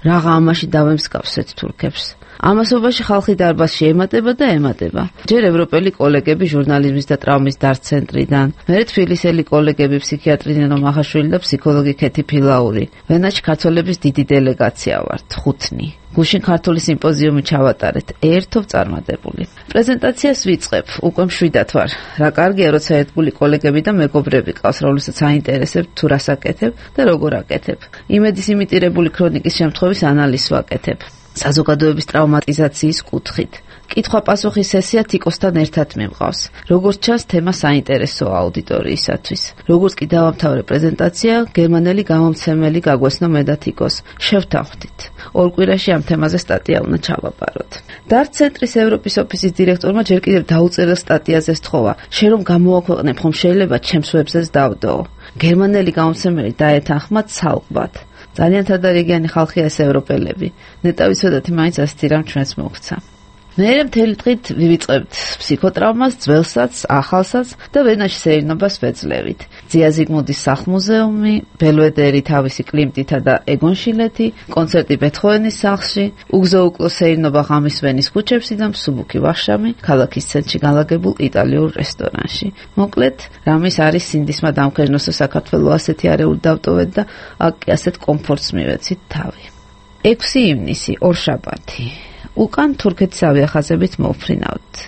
რაღა ამაში დავემსგავსეთ თურქებს. ამასობაში ხალხი დარბაზში ემატება და ემატება. ჯერ ევროპელი კოლეგები ჟურნალიზმის და ტრაუმის დარცენტრიდან, მერე თბილისელი კოლეგები ფსიქიატრი ნინო მახაშვილი და ფსიქოლოგი ქეთი ფილაური. ვენაში ქართველების დიდი დელეგაცია ვართ, 5. გუშინ ქართული სიმპოზიუმი ჩავატარეთ, ერთობ წარმატებული. პრეზენტაციას ვიწყებ, უკვე მშვიდად ვარ. რა კარგია, როცა ერთგული კოლეგები და მეგობრები ყავს, რომლებსაც აინტერესებთ თუ რას აკეთებ და როგორ აკეთებ. იმედის იმიტირებული ქრონიკის შემთხვევის ანალიზს ვაკეთებ. საზოგადოების ტრაუმატიზაციის კუთხით. კითხვა-პასუხის სესია თიკოსთან ერთად მიმყავს. როგორც ჩანს, თემა საინტერესოა აუდიტორიისათვის. როგორც კი დავამთავრე პრეზენტაცია, გერმანელი გამომცემელი გაგვესნა მე და თიკოს. შევთანხმდით. 2 კვირაში ამ თემაზე სტატია უნდა ჩავაბაროთ. დარცენტრის ევროპის ოფისის დირექტორმა ჯერ კიდევ დაუწერელ სტატიაზე სთხოვა. შენ რომ გამოვაქვეყნებ, ხომ შეიძლება ჩემს ვებზეც დავდო. გერმანელი გამომცემელი დაეთანხმა ცალკბად. ძალიან თადარიგიანი ხალხია ეს ევროპელები. ნეტავიცოდათი მაინც ასეთი რამ ჩვენს მოგცა. მერე მთელი დღით ვივიწყებთ ფსიქოტრაუმას, ძველსაც, ახალსაც და ვენაში სეირნობას ვეძლევით. ძია ზიგმუნდის სახლ-მუზეუმი, ბელვედერი თავისი კლიმტითა და ეგონშილეთი, კონცერტი ბეთჰოვენის სახლში, უგზო-უკლო სეირნობა ღამის ვენის ქუჩებში და მსუბუქი ვახშამი ქალაქის ცენტრში განლაგებულ იტალიურ რესტორანში. მოკლედ, რამის არის სინდისმა დამქერნოსო საქართველოს ასეთი არეული დავტოვეთ და აქ კი ასეთ კომფორტს მივეცით თავი. 6 ივნისი, ორშაბათი. უკან თურქეთის ავიახაზებით მოვფრინავთ.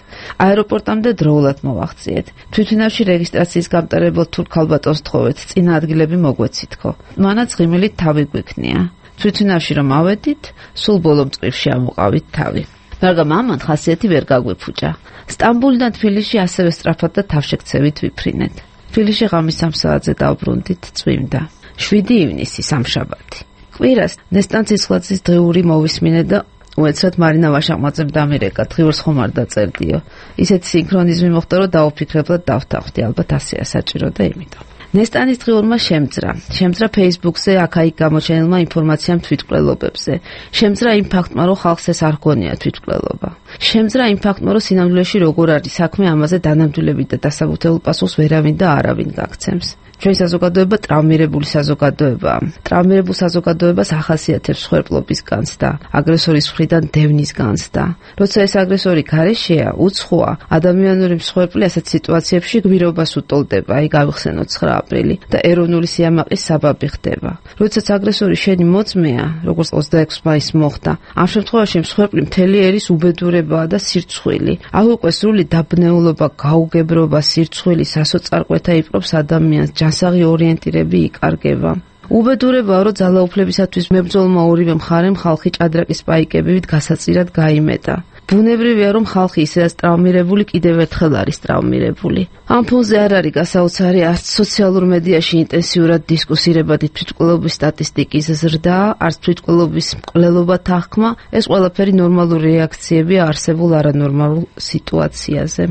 აეროპორტამდე დროულად მოვახციეთ. თვითმფრინავში რეგისტრაციის გამტარებელ თურქ ქალბატონს თხოვეთ, წინა ადგილები მოგვეცითქო. მანაც ღიმილით თავი გვიქნია. თვითმფრინავში რომ ავედით, სულ ბოლო მწკრივში ამოყავით თავი. მაგრამ ამან ხასიათი ვერ გაგვიფუჭა. სტამბოლიდან თბილისში ასევე სწრაფად და თავშექცევით ვიფრინეთ. თბილისში ღამის 3 საათზე დავბრუნდით, წვიმდა. 7 ივნისი სამშაბათი. კვირას ნესტან ციცხვაძის დღიური მოვისმინე და უეცრად მარინა ვაშაყმაძემ დამირეკა, დღიურს ხომ არ დაწერდიო. ისეთი სინქრონიზმი მოხდა, რომ დავუფიქრებლად დავთანხმდი, ალბათ ასეა საჭირო და იმიტომ. ნესტანის დღიურმა შემძრა Facebook-ზე აქ-იქ გამოჩენილმა ინფორმაციამ თვითმკვლელობებზე. შემძრა იმ ფაქტმა, რომ ხალხს ეს არ გონია თვითმკვლელობა. შემძრა იმ ფაქტმა, რომ სინამდვილეში როგორ არის საქმე, ამაზე დანამდვილებით და დასაბუთებულ პასუხს ვერავინ და არავინ გაგცემს. ჩვენი საზოგადოება ტრავმირებული საზოგადოებაა. ტრავმირებულ საზოგადოებას ახასიათებს სხერპლობის განცდა, აგრესორის მხრიდან დევნის განცდა. როცა ეს აგრესორი გარეშეა, უცხოა, ადამიანური მსხვერპლი ასეთ სიტუაციებში გვირობას უტოლდება, აი გავიხსენოთ 9 აპრილი და ეროვნული სიამაყის საბაბი ხდება. როდესაც აგრესორი შენი მოწმეა, როგორც 26 მაისს მოხდა, ამ შემთხვევაში მსხვერპლი მთელი ერის უბედურებაა და სირცხვილი. აქ უკვე სრული დაბნეულობა, გაუგებრობა, სირცხვილი, სასოწარკვეთა იპყრობს ადამიანს. ასაღი ორიენტირები იკარგება. უბედურებაა, რომ ძალაუფლებისათვის მებრძოლმა ორივე მხარემ ხალხი ჭადრაკის პაიკებივით გასაწირად გაიმეტა. ბუნებრივია, რომ ხალხი ისედაც ტრავმირებული კიდევ ერთხელ არის ტრავმირებული. ამ ფონზე არ არის გასაოცარი არც სოციალურ მედიაში ინტენსიურად დისკუსირებადი თვითმკვლელობის სტატისტიკის ზრდა, არც თვითმკვლელობის მკვლელობა თანხმა, ეს ყველაფერი ნორმალური რეაქციებია არსებულ არანორმალურ სიტუაციაზე.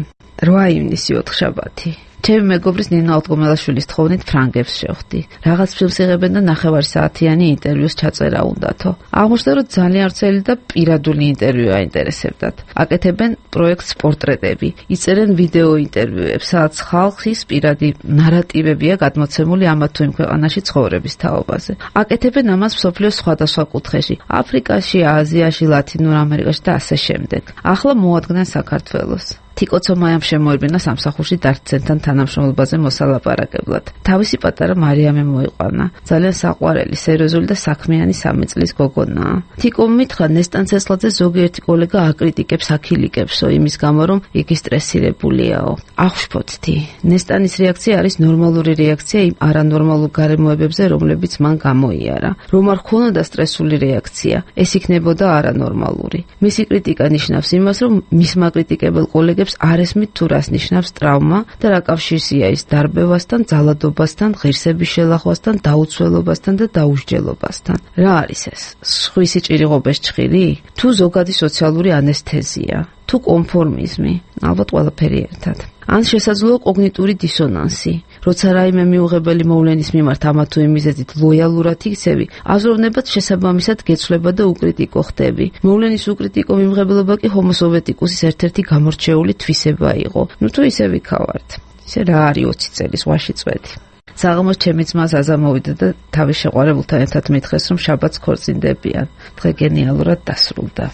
8 ივნისი 4 შაბათი. ჩემი მეგობრის ნინა ალტგომელაშვილის თხოვნით ფრანგებს შევხვდი. რაღაც ფილმს იღებენ და 9 საათიანი ინტერვიუს ჩაწერა უნდათო. აღმოჩნდა, რომ ძალიან ვრცელი და პირადული ინტერვიუ აინტერესებდათ. აკეთებენ პროექტს პორტრეტები, იწერენ ვიდეო ინტერვიუებს, სადაც ხალხის პირადი ნარატივებია გადმოცემული ამათ თუ იმ ქვეყანაში ცხოვრების თაობაზე. აკეთებენ ამას მსოფლიოს სხვადასხვა კუთხეში, აფრიკაში, აზიაში, ლათინურ ამერიკაში და ასე შემდეგ. ახლა მოადგნენ საქართველოს. თიკოცო მაიამ შემოერბინა სამსახურში დარჩენთან თანამშრომლობაზე მოსალაპარაკებლად. თავისი პატარა მარიამე მოიყვანა. ძალიან საყვარელი, სერიოზული და საქმიანი 3 წლის გოგონაა. თიკომ მითხრა ნესტან ცესლაძე ზოგიერთი კოლეგა აკრიტიკებს, აკილიკებსო იმის გამო, რომ იგი სტრესირებულიაო. აღვშფოთთი. ნესტანის რეაქცია არის ნორმალური რეაქცია იმ არანორმალურ გარემოებებზე, რომლებიც მან გამოიარა. რომ არ ქონოდა სტრესული რეაქცია, ეს იქნებოდა არანორმალური. მისი კრიტიკა ნიშნავს იმას, რომ მისმა კრიტიკებელ კოლეგებს არ ესმით თუ რას ნიშნავს ტრავმა და რა კავშირია ის დარბევასთან, ძალადობასთან, ღირსების შელახვასთან, დაუცველობასთან და დაუსჯელობასთან. რა არის ეს? სხვისი ჭირიღობეს ჭხილი? თუ ზოგადი სოციალური ანესთეზია? თუ კონფორმიზმი? ალბათ ყველაფერი ერთად. ან შესაძლოა კოგნიტური დისონანსი. როცა რაიმე მიუღებელი მოვლენის მიმართ ამა თუ იმ მიზეზით ლოიალურად იქცევი, აზროვნებად შესაბამისად გეცვლება და უკრიტიკო ხდები. მოვლენის უკრიტიკო მიმღებლობა კი ჰომოსოვეტიკუსის ერთ-ერთი გამორჩეული თვისება იყო. ნუ თუ ისე ვიქავართ. ისე რა არის 20 წელი ზღვაში წვეთი. საღამოს ჩემი ძმა ზაზა მოვიდა და თავის შეყვარებულთან ერთად მითხრეს, რომ შაბათს ქორწინდებიან. დღე გენიალურად დასრულდა.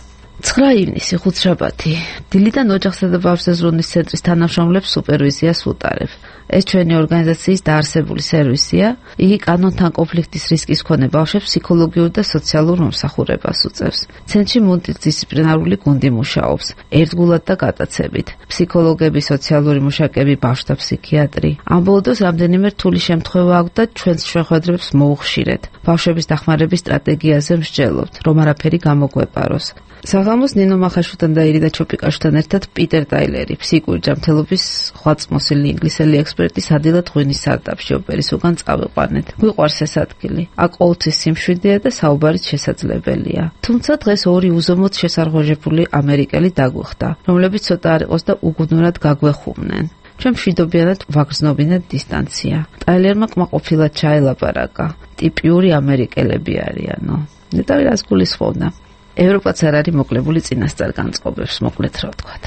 9 ივნისი 5 შაბათი. დილიდან ოჯახსა და ბავშვთა ზრუნვის ცენტრის თანამშრომლებს სუპერვიზიას ვუტარებ. ეს ჩვენი ორგანიზაციის დაარსებული სერვისია. იგი კანონთან კონფლიქტის რისკის მქონე ბავშვებს ფსიქოლოგიურ და სოციალურ მომსახურებას უწევს. ცენტრში მულტიდისციპლინარული გუნდი მუშაობს, ერთგულად და გატაცებით. ფსიქოლოგები, სოციალური მუშაკები, ბავშვთა ფსიქიატრი. ამ ბოლო დროს რამდენიმე რთული შემთხვევა აქვს და ჩვენს შეხვედრებს მოუხშირეთ. ბავშვების დახმარების სტრატეგიაზე მსჯელობთ, რომ არაფერი გამოგვეპაროს. საღამოს ნინო მახაშვილთან და ირინა ჩოპიკაშვილთან ერთად პიტერ ტაილერი, ფსიქიკური ჯანმრთელობის ხვაწმოსილი ინგლისელი ექსპერტი სადილად ღვინის სარდაფში ოპერის უკან წავიყვანეთ. გვიყვარს ეს ადგილი. აქ ყოველთვის სიმშვიდეა და საუბარიც შესაძლებელია. თუმცა დღეს 2 უზომოდ შესარღვეჟებული ამერიკელი დაგვხვდა, რომლებიც ცოტა არ იყოს და უგუნურად გაგვეხუმნენ. ჩვენ მშვიდობიანად ვაგრძნობინეთ დისტანცია. ტაილერმა კმაყოფილად ჩაელაპარაკა. ტიპიური ამერიკელები არიანო. ნეტავი რას გულისხმობდა. ევროპაც არ არის მოკლებული წინასწარ განწყობებს, მოკლედ რა ვთქვათ.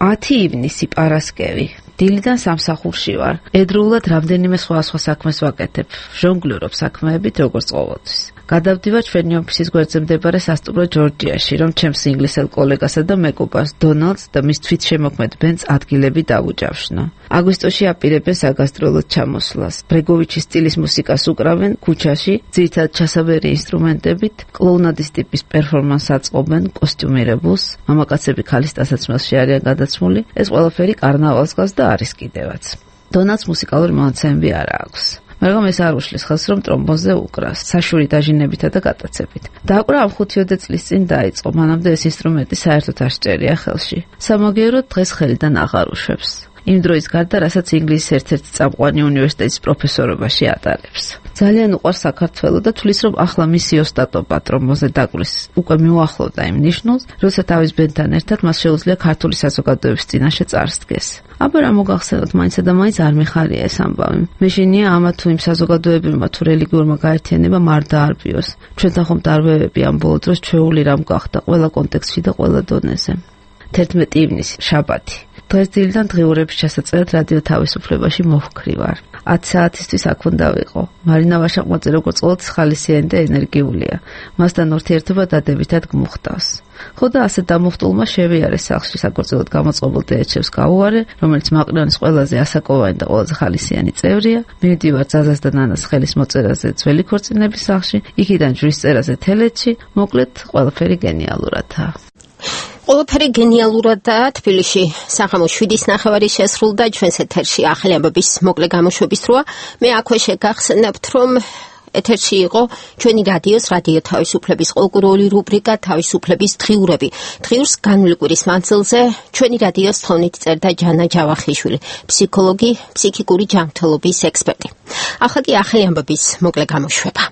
10 ივნისი პარასკევი. დილიდან სამსახურში ვარ. ედროულად რამდენიმე სხვა საქმეს ვაკეთებ. ჟონგლიორობ საქმეებით როგორც ყოველთვის. გადავდივარ ჩვენი ოფისის გვერდზე მდებარე სასტუმრო ჯორჯიაში, რომ ჩემს ინგლისელ კოლეგასა და მეგობარს დონალდს და მის თვითშემოქმედ ბენდს ადგილები დავუჯავშნო. აგვისტოში აპირებენ საგასტროლოდ ჩამოსვლას. ბრეგოვიჩის სტილის მუსიკას უკრავენ ქუჩაში, ძირითადად ჩასაბერი ინსტრუმენტებით, კლოუნადის ტიპის პერფორმანსს აწყობენ კოსტიუმირებულს, მამაკაცები ქალის ტანსაცმელში არიან გადაცმული, ეს ყველაფერი კარნავალს გავს და არის კიდევაც. დონალდს მუსიკალური მონაცემები არ აქვს. მაგრამ ეს არ უშლის ხელს, რომ ტრომბონზე უკრას, საშური დაჟინებითა და გატაცებით. დააკვრა ამ 5-10 წლის წინ დაიწყო, მანამდე ეს ინსტრუმენტი საერთოდ არ სჭერია ხელში. სამაგიეროდ დღეს ხელიდან აღარ უშვებს. იმ დროის გარდა, რასაც ინგლისის ერთ-ერთი წამყვანი უნივერსიტეტის პროფესორობაში ატარებს. ძალიან უყვარს საქართველო და თulis რომ ახლა მისი ოსტატობა ტრომბონზე დაკვრის უკვე მიუახლოვდა იმ ნიშნულს, როცა თავის ბენდთან ერთად მას შეუძლია ქართული საზოგადოების წინაშე წარსდგეს. აბა რა მოგახსენოთ, მაინცა და მაინც არ მიხარია ეს ამბავი. მეშინია ამა თუ იმ საზოგადოებებმა თუ რელიგიურმა გაერთიანებამ არ დაარბიოს. ჩვენთან ხომ დარბევები ამ ბოლო დროს ჩვეული რამ გახდა ყველა კონტექსტში და ყველა დონეზე. 11 ივნისი, შაბათი. დღეს დილიდან დღიურების ჩასაწერად რადიო თავისუფლებაში მოვქრი ვარ. 10 საათისთვის აქ უნდა ვიყო. მარინა ვაშაყმაძე როგორც ყოველთვის ხალისიანი და ენერგიულია. მასთან ურთიერთობა დადებითად გმუხტავს. ხო და ასე დამუხტულმა შევიარე სახლში საქორწილოდ გამოწყობილ დეეჩევს გავუარე, რომელიც მაყრიონის ყველაზე ასაკოვანი და ყველაზე ხალისიანი წევრია. მივდივარ ძაზას და ნანას ხელის მოწერაზე ძველი ქორწინების სახლში, იქიდან ჯვრის წერაზე თელეთში, მოკლედ ყველაფერი გენიალურადაა. ყველაფერი გენიალურადაა თბილისში. სახამოს 7:09 შესრულდა ჩვენს ეთერში ახალი ამბების მოკლე გამოშვების დროა. მე აქვე შეგახსენებთ, რომ ეთერში იყო ჩვენი რადიოს რადიო თავისუფლების ყოლკურული რუბრიკა თავისუფლების დღიურები. დღიურს განვლი კვირის მანძილზე ჩვენი რადიოს თხოვნით წერდა ჯანა ჯავახიშვილი, ფსიქოლოგი, ფსიქიკური ჯანმრთელობის ექსპერტი. ახლა კი ახალი ამბების მოკლე გამოშვება.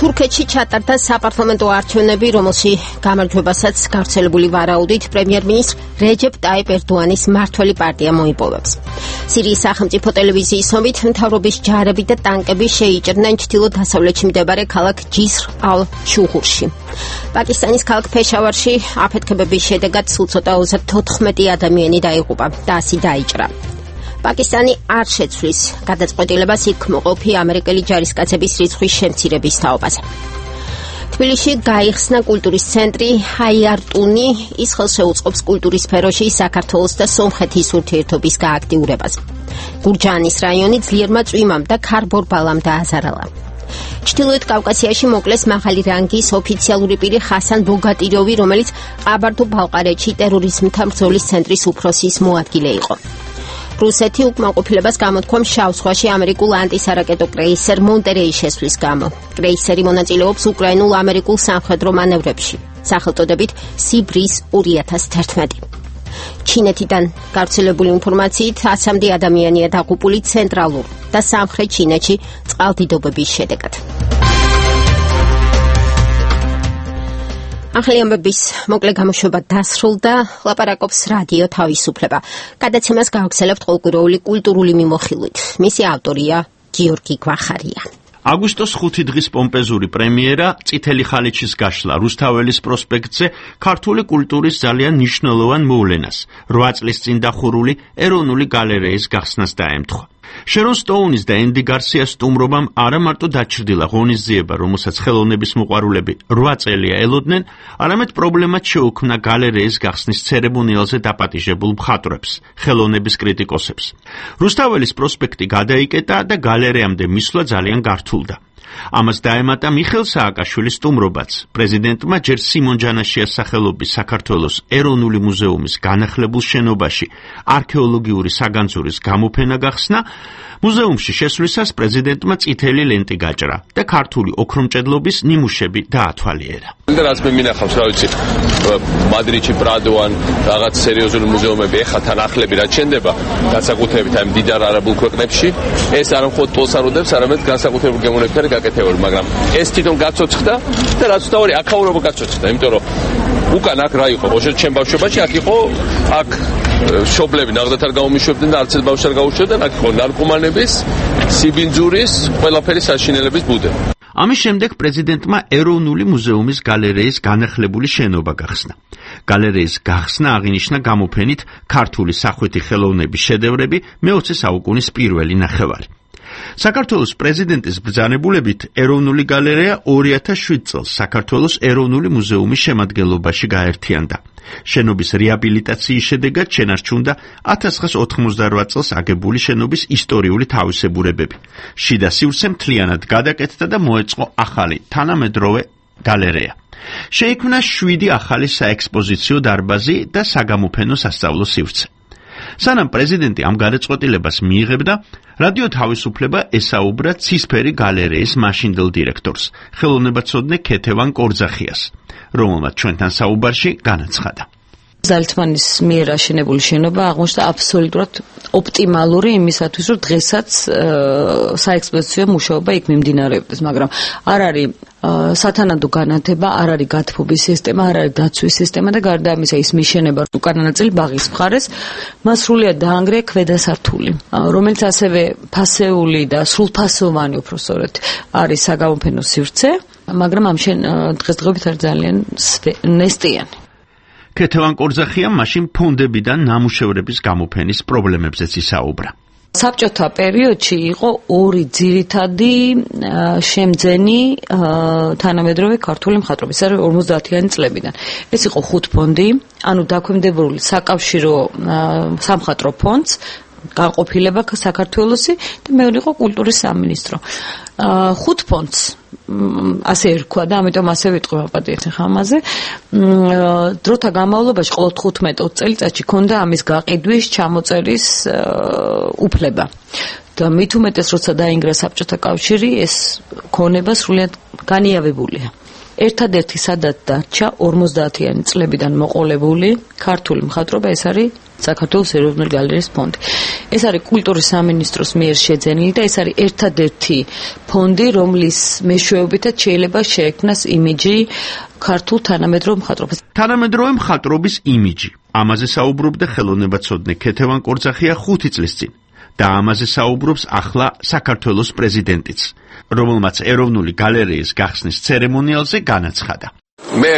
თურქეთში ჩატარდა საპარლამენტო არჩევნები, რომელში გამარჯვებასაც გავრცელებული ვარაუდით პრემიერ-მინისტრ რეჯეპ ტაიპ ერდოანის მმართველი პარტია მოიპოვებს. სირიის სახელმწიფო ტელევიზიის ცნობით, მთავრობის ჯარები და ტანკები შეიჭრნენ ჩრდილო-დასავლეთში მდებარე ქალაქ ჯისრ ალ-შუღურში. პაკისტანის ქალაქ ფეშავარში აფეთქებების შედეგად სულ ცოტა 14 ადამიანი დაიღუპა და 100 დაიჭრა. პაკისტანი არ შეცვლის გადაწყვეტილებას იქ მოყოფი ამერიკელი ჯარისკაცების რიცხვის შემცირების თაობაზე. თბილისში გაიხსნა კულტურის ცენტრი ჰაიარტუნი, ის ხელს შეუწყობს კულტურის სფეროში საქართველოს და სომხეთის ურთიერთობის გააქტიურებას. გურჯაანის რაიონი ძლიერმა წვიმამ და ქარბორბალამ დააზარალა. ჩრდილოეთ კავკასიაში მოკლეს მაღალი რანგის ოფიციალური პირი ხასან ბოგატიროვი, რომელიც ყაბარდო-ბალყარეთში ტერორიზმთან ბრძოლის ცენტრის უფროსის მოადგილე იყო. რუსეთი უკმაყოფილებას გამოთქვამს შავ ზღვაში ამერიკულ ანტისარაკეტო კრეისერ მონტერეის შესვლის გამო. კრეისერი მონაწილეობს უკრაინულ-ამერიკულ სამხედრო მანევრებში, სახელწოდებით სიბრის 2011. ჩინეთიდან გავრცელებული ინფორმაციით 100-მდე ადამიანია დაღუპული ცენტრალურ და სამხრეთ ჩინეთში წყალდიდობების შედეგად. ახალი ამბების მოკლე გამოშვება დასრულდა. ლაპარაკობს რადიო თავისუფლება. გადაცემას გააგრძელებთ ყოლკურული კულტურული მიმოხილვით. მისი ავტორია გიორგი გვახარია. აგვისტოს 5 დღის პომპეზური პრემიერა წითელი ხალიჩის გაშლა რუსთაველის პროსპექტზე ქართული კულტურის ძალიან მნიშვნელოვან მოვლენას 8 წლის წინ დახურული ეროვნული გალერეის გახსნას დაემთხვა. შერონ სტოუნის და ენდი გარსიას სტუმრობამ არა მარტო დაჩრდილა ღონისძიება, რომელსაც ხელოვნების მოყვარულები 8 წელია ელოდნენ, არამედ პრობლემად შეუქმნა გალერეის გახსნის ცერემონიალზე დაპატიჟებულ მხატვრებს, ხელოვნების კრიტიკოსებს. რუსთაველის პროსპექტი გადაიკეტა და გალერეამდე მისვლა ძალიან გართულდა. ამას დაემატა მიხეილ სააკაშვილის სტუმრობაც. პრეზიდენტმა ჯერ სიმონ ჯანაშიას სახელობის საქართველოს ეროვნული მუზეუმის განახლებულ შენობაში არქეოლოგიური საგანძურის გამოფენა გახსნა. მუზეუმში შესვლისას პრეზიდენტმა წითელი ლენტი გაჭრა და ქართული ოქრომჭედლობის ნიმუშები დაათვალიერა. რაც მე მინახავს, რა ვიცი, მადრიდში პრადოან რაღაც სერიოზული მუზეუმები ეხა თან ახლები რაც შენდება, განსაკუთრებით აი მდიდარ არაბულ ქვეყნებში, ეს არ მხოლოდ ტოლს არ უდებს, არამედ განსაკუთრებულ გემოვნებთან გაკეთებული, მაგრამ ეს თვითონ გაცოცხლდა და რაც უთავარი აქაურობა გაცოცხლდა, იმიტომ რომ უკან აქ რა იყო, ოშოთ ჩემ ბავშვობაში აქ იყო, აქ შობლები ნაღდათ არ გაუმიშვებდნენ და არც ბავშვს არ გაუშვებდნენ, აქ იყო ნარკომანების, სიბინძურის, ყველაფერი საშინელების ბუდე. ამის შემდეგ პრეზიდენტმა ეროვნული მუზეუმის გალერეის განახლებული შენობა გახსნა. გალერეის გახსნა აღინიშნა გამოფენით ქართული სახვითი ხელოვნების შედევრები მე-20 საუკუნის პირველი ნახევარი. საქართველოს პრეზიდენტის ბრძანებულებით ეროვნული გალერეა 2007 წელს საქართველოს ეროვნული მუზეუმის შემადგენლობაში გაერთიანდა. შენობის რეაბილიტაციის შედეგად შენარჩუნდა 1998 წელს აგებული შენობის ისტორიული თავისებურებები. შიდა სივრცე მთლიანად გადაკეთდა და მოეწყო ახალი თანამედროვე გალერეა. შეიქმნა 7 ახალი საექსპოზიციო დარბაზი და საგამოფენო სასწავლო სივრცე. სანამ პრეზიდენტი ამ გადაწყვეტილებას მიიღებდა, რადიო თავისუფლება ესაუბრა ცისფერი გალერეის მაშინდელ დირექტორს, ხელოვნებაცოდნე ქეთევან კორძახიას, რომელმაც ჩვენთან საუბარში განაცხადა. ზალთმანის მიერ აშენებული შენობა აღმოჩნდა აბსოლუტურად ოპტიმალური იმისათვის, რომ დღესაც საექსპოზიციო მუშაობა იქ მიმდინარეობდეს, მაგრამ არ არის სათანადო განათება, არ არის გათბობის სისტემა, არ არის დაცვის სისტემა და გარდა ამისა ის მიშენება უკანა ნაწილი ბაღის მხარეს, მას სრულიად დაანგრია ქვედა სართული, რომელიც ასევე ფასეული და სრულფასოვანი უფრო სწორედ არის საგამოფენო სივრცე, მაგრამ ამ დღესდღეობით არის ძალიან ნესტიანი. ქეთევან კორძახიამ მაშინ ფონდებიდან ნამუშევრების გამოფენის პრობლემებზეც ისაუბრა. საბჭოთა პერიოდში იყო 2 ძირითადი შემძენი თანამედროვე ქართული მხატვრობის, ეს არის 50-იანი წლებიდან. ეს იყო 5 ფონდი, ანუ დაქვემდებარებული საკავშირო სამხატვრო ფონდს, განყოფილება საქართველოსი და მეორე იყო კულტურის სამინისტრო. 5 ფონდს ასე ერქვა და ამიტომ ასე ვიტყვი მაპატიეთ ხამაზე. დროთა განმავლობაში ყოველ 15-20 წელიწადში ქონდა ამის გაყიდვის, ჩამოწერის უფლება. და მით უმეტეს როცა დაინგრა საბჭოთა კავშირი, ეს ქონება სრულიად განიავებულია. ერთადერთი სადაც დარჩა 50-იანი წლებიდან მოყოლებული ქართული მხატვრობა, ეს არის საქართველოს ეროვნული გალერეის ფონდი. ეს არის კულტურის სამინისტროს მიერ შეძენილი და ეს არის ერთადერთი ფონდი, რომლის მეშვეობითაც შეიძლება შეექმნას იმიჯი ქართულ თანამედროვე მხატვრობას. თანამედროვე მხატვრობის იმიჯი. ამაზე საუბრობდა ხელოვნებაცოდნე ქეთევან კორძახია 5 წლის წინ და ამაზე საუბრობს ახლა საქართველოს პრეზიდენტიც, რომელმაც ეროვნული გალერეის გახსნის ცერემონიალზე განაცხადა. მე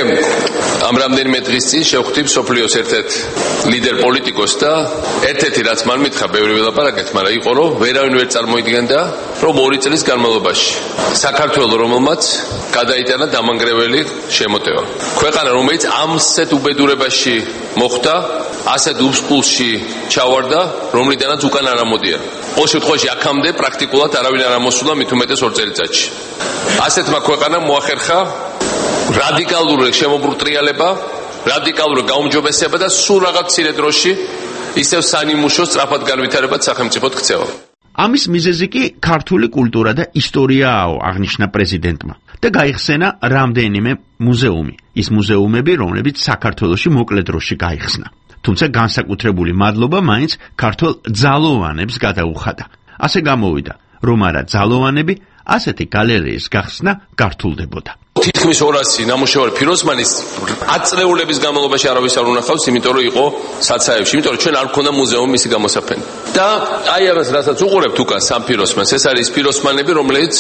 ამ რამდენიმე დღის წინ შევხვდი მსოფლიოს ერთ-ერთ ლიდერ პოლიტიკოს და ერთ-ერთი რაც მან მითხრა, ბევრი ველაპარაკეთ, მაგრამ იყო რომ ვერავინ ვერ წარმოიდგენდა, რომ 2 წლის განმავლობაში საქართველოს რომელმაც გადაიტანა დამანგრეველი შემოტევა. ქვეყანა რომელიც ამსეთ უბედურებაში მოხვდა, ასეთ უსყულში ჩავარდა, რომლიდანაც უკან არ ამოდიან. ყოველ შემთხვევაში აქამდე პრაქტიკულად არავინ არ ამოსულა, მით უმეტეს 2 წელიწადში. ასეთმა ქვეყანამ მოახერხა რადიკალური შემობრუტრიალება, რადიკალური გაუმჯობესება და სულ რაღაც მცირე დროში ისევ სანიმუშო სწრაფად განვითარებად სახელმწიფოდ ქცევა. ამის მიზეზი კი ქართული კულტურა და ისტორიააო, აღნიშნა პრეზიდენტმა და გაიხსენა რამდენიმე მუზეუმი, ის მუზეუმები, რომლებიც საქართველოში მოკლე დროში გაიხსნა. თუმცა განსაკუთრებული მადლობა მაინც ქართულ ძალოვანებს გადაუხადა. ასე გამოვიდა, რომ არა ძალოვანები, ასეთი გალერეის გახსნა გართულდებოდა. თითქმის 200 ნამუშევარი ფიროსმანის 10 წლეულების განმავლობაში არავის არ უნახავს, იმიტომ რომ იყო საცაებში, იმიტომ რომ ჩვენ არ გქონდა მუზეუმი მისი გამოსაფენი. და აი ამას რასაც უყურებთ უკან სამ ფიროსმანს, ეს არის ფიროსმანები, რომლებიც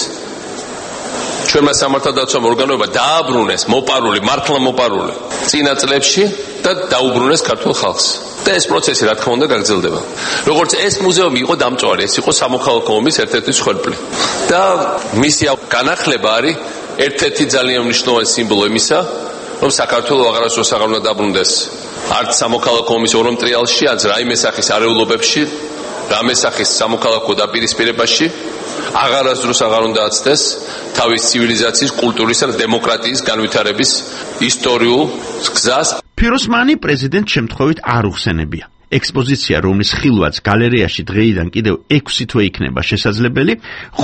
ჩვენმა სამართალდაცვამ ორგანოებმა დააბრუნეს მოპარული, მართლა მოპარული წინა წლებში და დაუბრუნეს ქართულ ხალხს. და ეს პროცესი რა თქმა უნდა გაგრძელდება. როგორც ეს მუზეუმი იყო დამწვარი, ეს იყო სამოქალაქო ომის ერთ-ერთი მსხვერპლი. და მისი განახლება არის ერთ-ერთი ძალიან მნიშვნელოვანი სიმბოლო იმისა, რომ საქართველოს აღარასდროს აღარ უნდა დაბრუნდეს არც სამოქალაქო ომის ორომტრიალში, არც რაიმე სახის არეულობებში, რამე სახის სამოქალაქო დაპირისპირებაში, აღარასდროს აღარ უნდა აცდეს თავის ცივილიზაციის, კულტურისა და დემოკრატიის განვითარების ისტორიულ გზას. ფიროსმანი პრეზიდენტ შემთხვევით არ უხსენებია. ექსპოზიცია, რომლის ხილვაც გალერეაში დღეიდან კიდევ 6 თვე იქნება შესაძლებელი,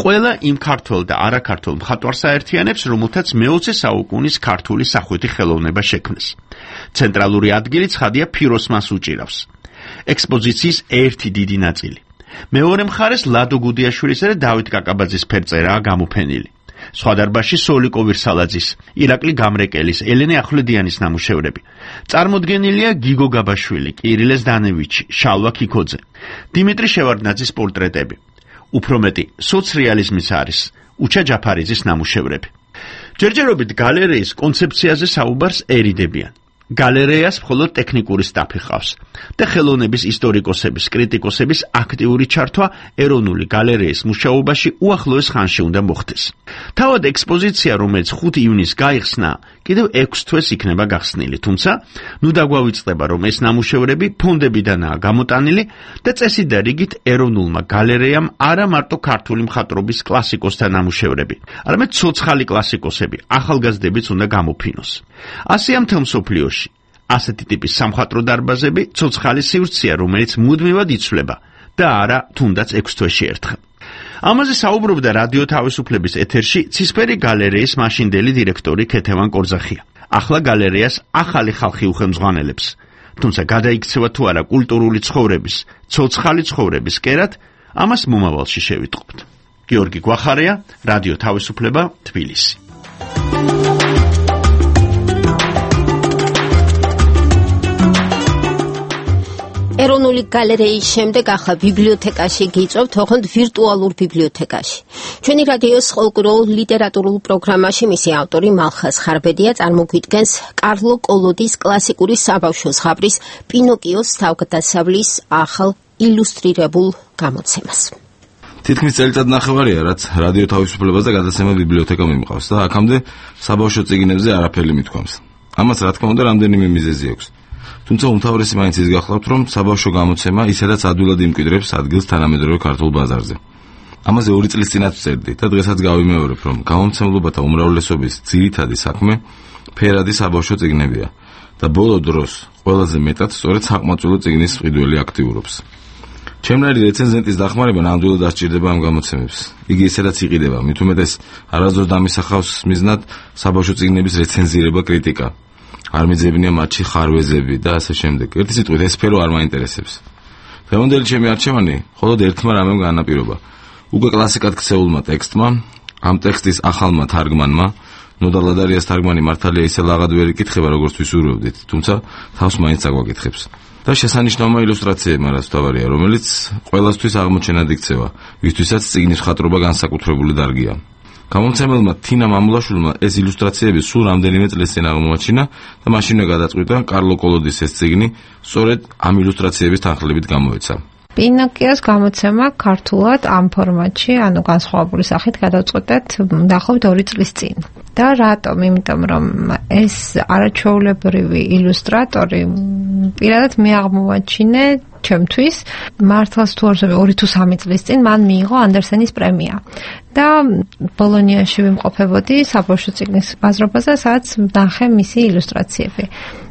ყველა იმ ქართველ და არაქართულ მხატვარს აერთიანებს, რომელთაც მე-20 საუკუნის ქართული სახვითი ხელოვნება შექმნეს. ცენტრალური ადგილი ცხადია ფიროსმანს უჭირავს. ექსპოზიციის ერთი დიდი ნაწილი. მეორე მხარეს ლადო გუდიაშვილისა და დავით კაკაბაძის ფერწერაა გამოფენილი. სხვა დარბაზში სოლიკო ვირსალაძის, ირაკლი გამრეკელის, ელენე ახვლედიანის ნამუშევრები. წარმოდგენილია გიგო გაბაშვილი, კირილე ზდანევიჩი, შალვა ქიქოძე, დიმიტრი შევარდნაძის პორტრეტები. უფრო მეტი, სოცრეალიზმის არის უჩა ჯაფარიძის ნამუშევრები. ჯერჯერობით გალერეის კონცეფციაზე საუბარს ერიდებიან. გალერეას მხოლოდ ტექნიკური სტაფი ხავს და ხელოვნების ისტორიკოსების, კრიტიკოსების აქტიური ჩართვა ეროვნული გალერეის მუშაობაში უახლოეს ხანში უნდა მოხდეს. თავად ექსპოზიცია, რომელიც 5 ივნისს გაიხსნა, კიდევ 6 თვეს იქნება გახსნილი, თუმცა ნუ დაგვავიწყდება, რომ ეს ნამუშევრები ფონდებიდანაა გამოტანილი და წესით და რიგით ეროვნულმა გალერეამ არა მარტო ქართული მხატვრობის კლასიკოსთა ნამუშევრები, არამედ ცოცხალი კლასიკოსები, ახალგაზრდებიც უნდა გამოფინოს. ასეა მთელ მსოფლიოში. ასეთი ტიპის სამხატვრო დარბაზები ცოცხალი სივრცეა, რომელიც მუდმივად იცვლება და არა თუნდაც 6 თვეში ერთხელ. ამაზე საუბრობდა რადიო თავისუფლების ეთერში ცისფერი გალერეის მაშინდელი დირექტორი ქეთევან კორძახია. ახლა გალერეას ახალი ხალხი უხელმძღვანელებს, თუმცა გადაიქცევა თუ არა კულტურული ცხოვრების, ცოცხალი ცხოვრების კერად, ამას მომავალში შევიტყობთ. გიორგი გვახარია, რადიო თავისუფლება, თბილისი. ეროვნული გალერეის შემდეგ ახლა ბიბლიოთეკაში გიწევთ, ოღონდ ვირტუალურ ბიბლიოთეკაში. ჩვენი რადიოს ყოველკვირეულ ლიტერატურულ პროგრამაში მისი ავტორი მალხაზ ხარბედია წარმოგვიდგენს კარლო კოლოდის კლასიკური საბავშვო ზღაპრის პინოკიოს თავგადასავლის ახალ ილუსტრირებულ გამოცემას. თითქმის წელიწად ნახევარია, რაც რადიო თავისუფლებაზე გადაცემა ბიბლიოთეკა მიმყავს და აქამდე საბავშვო წიგნებზე არაფერი მithქვამს. ამას რა თქმა უნდა რამდენიმე მიზეზი აქვს. თუმცა უმთავრესი მაინც ის გახლავთ, რომ საბავშვო გამოცემა ისედაც ადვილად იმკვიდრებს ადგილს თანამედროვე ქართულ ბაზარზე. ამაზე 2 წლის წინაც ვწერდი და დღესაც გავიმეორებ, რომ გამომცემლობათა უმრავლესობის ძირითადი საქმე ფერადი საბავშვო წიგნებია და ბოლო დროს ყველაზე მეტად სწორედ საყმაწვილო წიგნის მყიდველი აქტიურობს. ჩემნაირი რეცენზენტის დახმარება ნამდვილად ასჭირდება ამ გამოცემებს. იგი ისედაც იყიდება, მით უმეტეს არასდროს დამისახავს მიზნად საბავშვო წიგნების რეცენზირება, კრიტიკა. არ მიძებნია მათში ხარვეზები და ასე შემდეგ. ერთი სიტყვით ეს სფერო არ მაინტერესებს. დღევანდელი ჩემი არჩევანი მხოლოდ ერთმა რამემ განაპირობა. უკვე კლასიკად ქცეულმა ტექსტმა, ამ ტექსტის ახალმა თარგმანმა, ნოდა ლადარიას თარგმანი მართალია ისე ლაღად ვერ იკითხება, როგორც ვისურვებდით, თუმცა თავს მაინც აგვაკითხებს. და შესანიშნავმა ილუსტრაციებმა რაც თავარია, რომელიც ყველასთვის აღმოჩენად იქცევა, ვისთვისაც წიგნის მხატვრობა განსაკუთრებული დარგია. გამომცემელმა თინა მამულაშვილმა ეს ილუსტრაციები სულ რამდენიმე წლის წინ აღმოაჩინა და მაშინვე გადაწყვიტა კარლო კოლოდის ეს წიგნი სწორედ ამ ილუსტრაციების თანხლებით გამოეცა. პინოკიოს გამოცემა ქართულად ამ ფორმატში, ანუ განსხვავებული სახით გადავწყვეტეთ დაახლოებით 2 წლის წინ. და რატომ? იმიტომ რომ ეს არაჩვეულებრივი ილუსტრატორი პირადად მე აღმოვაჩინე ჩემთვის, მართლაც თუ არ ვსვამი 2 თუ 3 წლის წინ მან მიიღო ანდერსენის პრემია. და ბოლონიაში ვიმყოფებოდი საბავშვო წიგნის ბაზრობაზე, სადაც ნახე მისი ილუსტრაციები.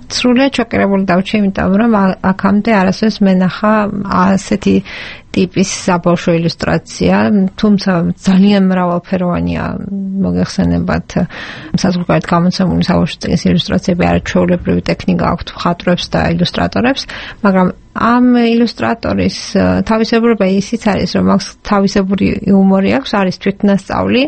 სრულიად შოკირებული დავჭი, იმიტომ რომ აქამდე არასდროს მენახა ასეთი ტიპის საბავშვო ილუსტრაცია, თუმცა ძალიან მრავალფეროვანია, მოგეხსენებათ საზღვარგარეთ გამოცემული საბავშვო წიგნის ილუსტრაციები, არაჩვეულებრივი ტექნიკა აქვთ მხატვრებს და ილუსტრატორებს, მაგრამ ამ ილუსტრატორის თავისებურება ისიც არის, რომ აქვს თავისებური იუმორი აქვს, არის თვითნასწავლი.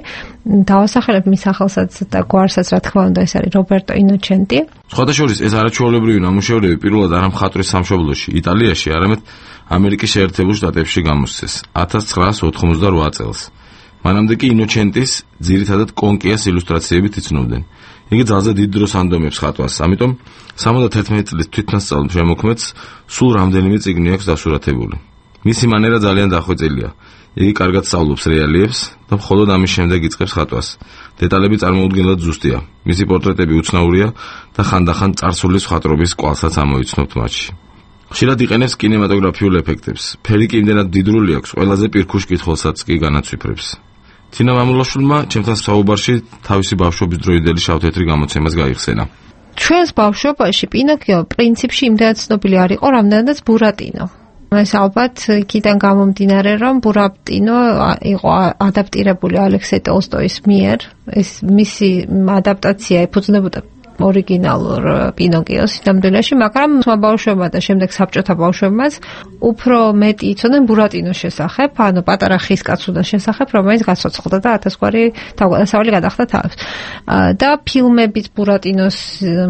დავასახელებ მის სახელსაც და გვარსაც, რა თქმა უნდა, ეს არის რობერტო ინოჩენტი. სხვათა შორის ეს არაჩვეულებრივი ნამუშევრები პირველად არა მხატვრის სამშობლოში, იტალიაში, არამედ ამერიკის შეერთებულ შტატებში გამოსცეს 1988 წელს. მანამდე კი ინოჩენტის ძირითადად კონკიას ილუსტრაციებით იცნობდნენ. იგი ძალზე დიდ დროს ანდომებს ხატვას, ამიტომ 71 წლის თვითნასწავლ შემოქმედს სულ რამდენიმე წიგნი აქვს დასურათებული. მისი მანერა ძალიან დახვეწილია. იგი კარგად სწავლობს რეალიებს და მხოლოდ ამის შემდეგ იწყებს ხატვას. დეტალები წარმოუდგენლად ზუსტია. მისი პორტრეტები უცნაურია და ხანდახან წარსულის მხატვრობის კვალსაც ამოიცნობთ მათში. ხშირად იყენებს კინემატოგრაფიულ ეფექტებს. ფერი კი იმდენად დიდრული აქვს, ყველაზე პირქუშ კითხულსაც კი განაცვიფრებს. თინა მამულაშვილმა ჩემთან საუბარში თავისი ბავშვობის დროიდელი შავ-თეთრი გამოცემას გაიხსენა. ჩვენს ბავშვობაში პინოკიო პრინციპში იმდენად ცნობილი არ იყო, რამდენადაც ბურატინო. ეს ალბათ იქიდან გამომდინარე, რომ ბურატინო იყო ადაპტირებული ალექსეი ტოლსტოის მიერ. ეს მისი ადაპტაცია ეფუძნებოდა ორიგინალურ პინოკიოს სინამდვილეში, მაგრამ ბავშვებმა და შემდეგ საბჭოთა ბავშვებმაც უფრო მეტი იცოდნენ ბურატინოს შესახებ, ანუ პატარა ხის კაცუნას შესახებ, რომელიც გაცოცხლდა და 1000 გვარი თავგადასავალი გადახდა თავს. და ფილმებიც ბურატინოს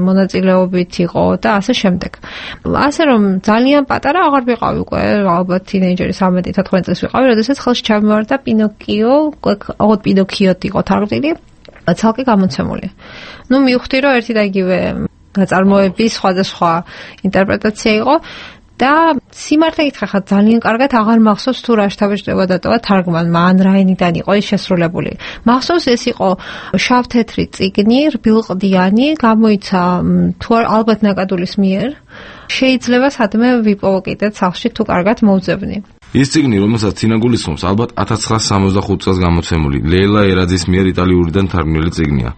მონაწილეობით იყო და ასე შემდეგ. ასე რომ ძალიან პატარა აღარ ვიყავი უკვე, ალბათ თინეიჯერი 13-14 წელს ვიყავი, როდესაც ხელში ჩამივარდა პინოკიო, ოღონდ პინოკიოთ იყო თარგმნილი, ცალკე გამოცემული. მივხვდი, რომ ერთი და იგივე ნაწარმოების სხვადასხვა ინტერპრეტაცია იყო და სიმართლე გითხრათ, ძალიან კარგად აღარ მახსოვს თუ რა შთაბეჭდება დატოვა თარგმანმა, ან რაინიდან იყო ის შესრულებული. მახსოვს ეს იყო შავ-თეთრი წიგნი, რბილყდიანი, გამოიცა თუ ალბათ ნაკადულის მიერ. შეიძლება სადმე ვიპოვო კიდეც სახლში თუ კარგად მოვძებნი. ის წიგნი, რომელსაც თინა გულისხმობს, ალბათ 1965 წელს გამოცემული ლეილა ერაძის მიერ იტალიურიდან თარგმნილი წიგნია,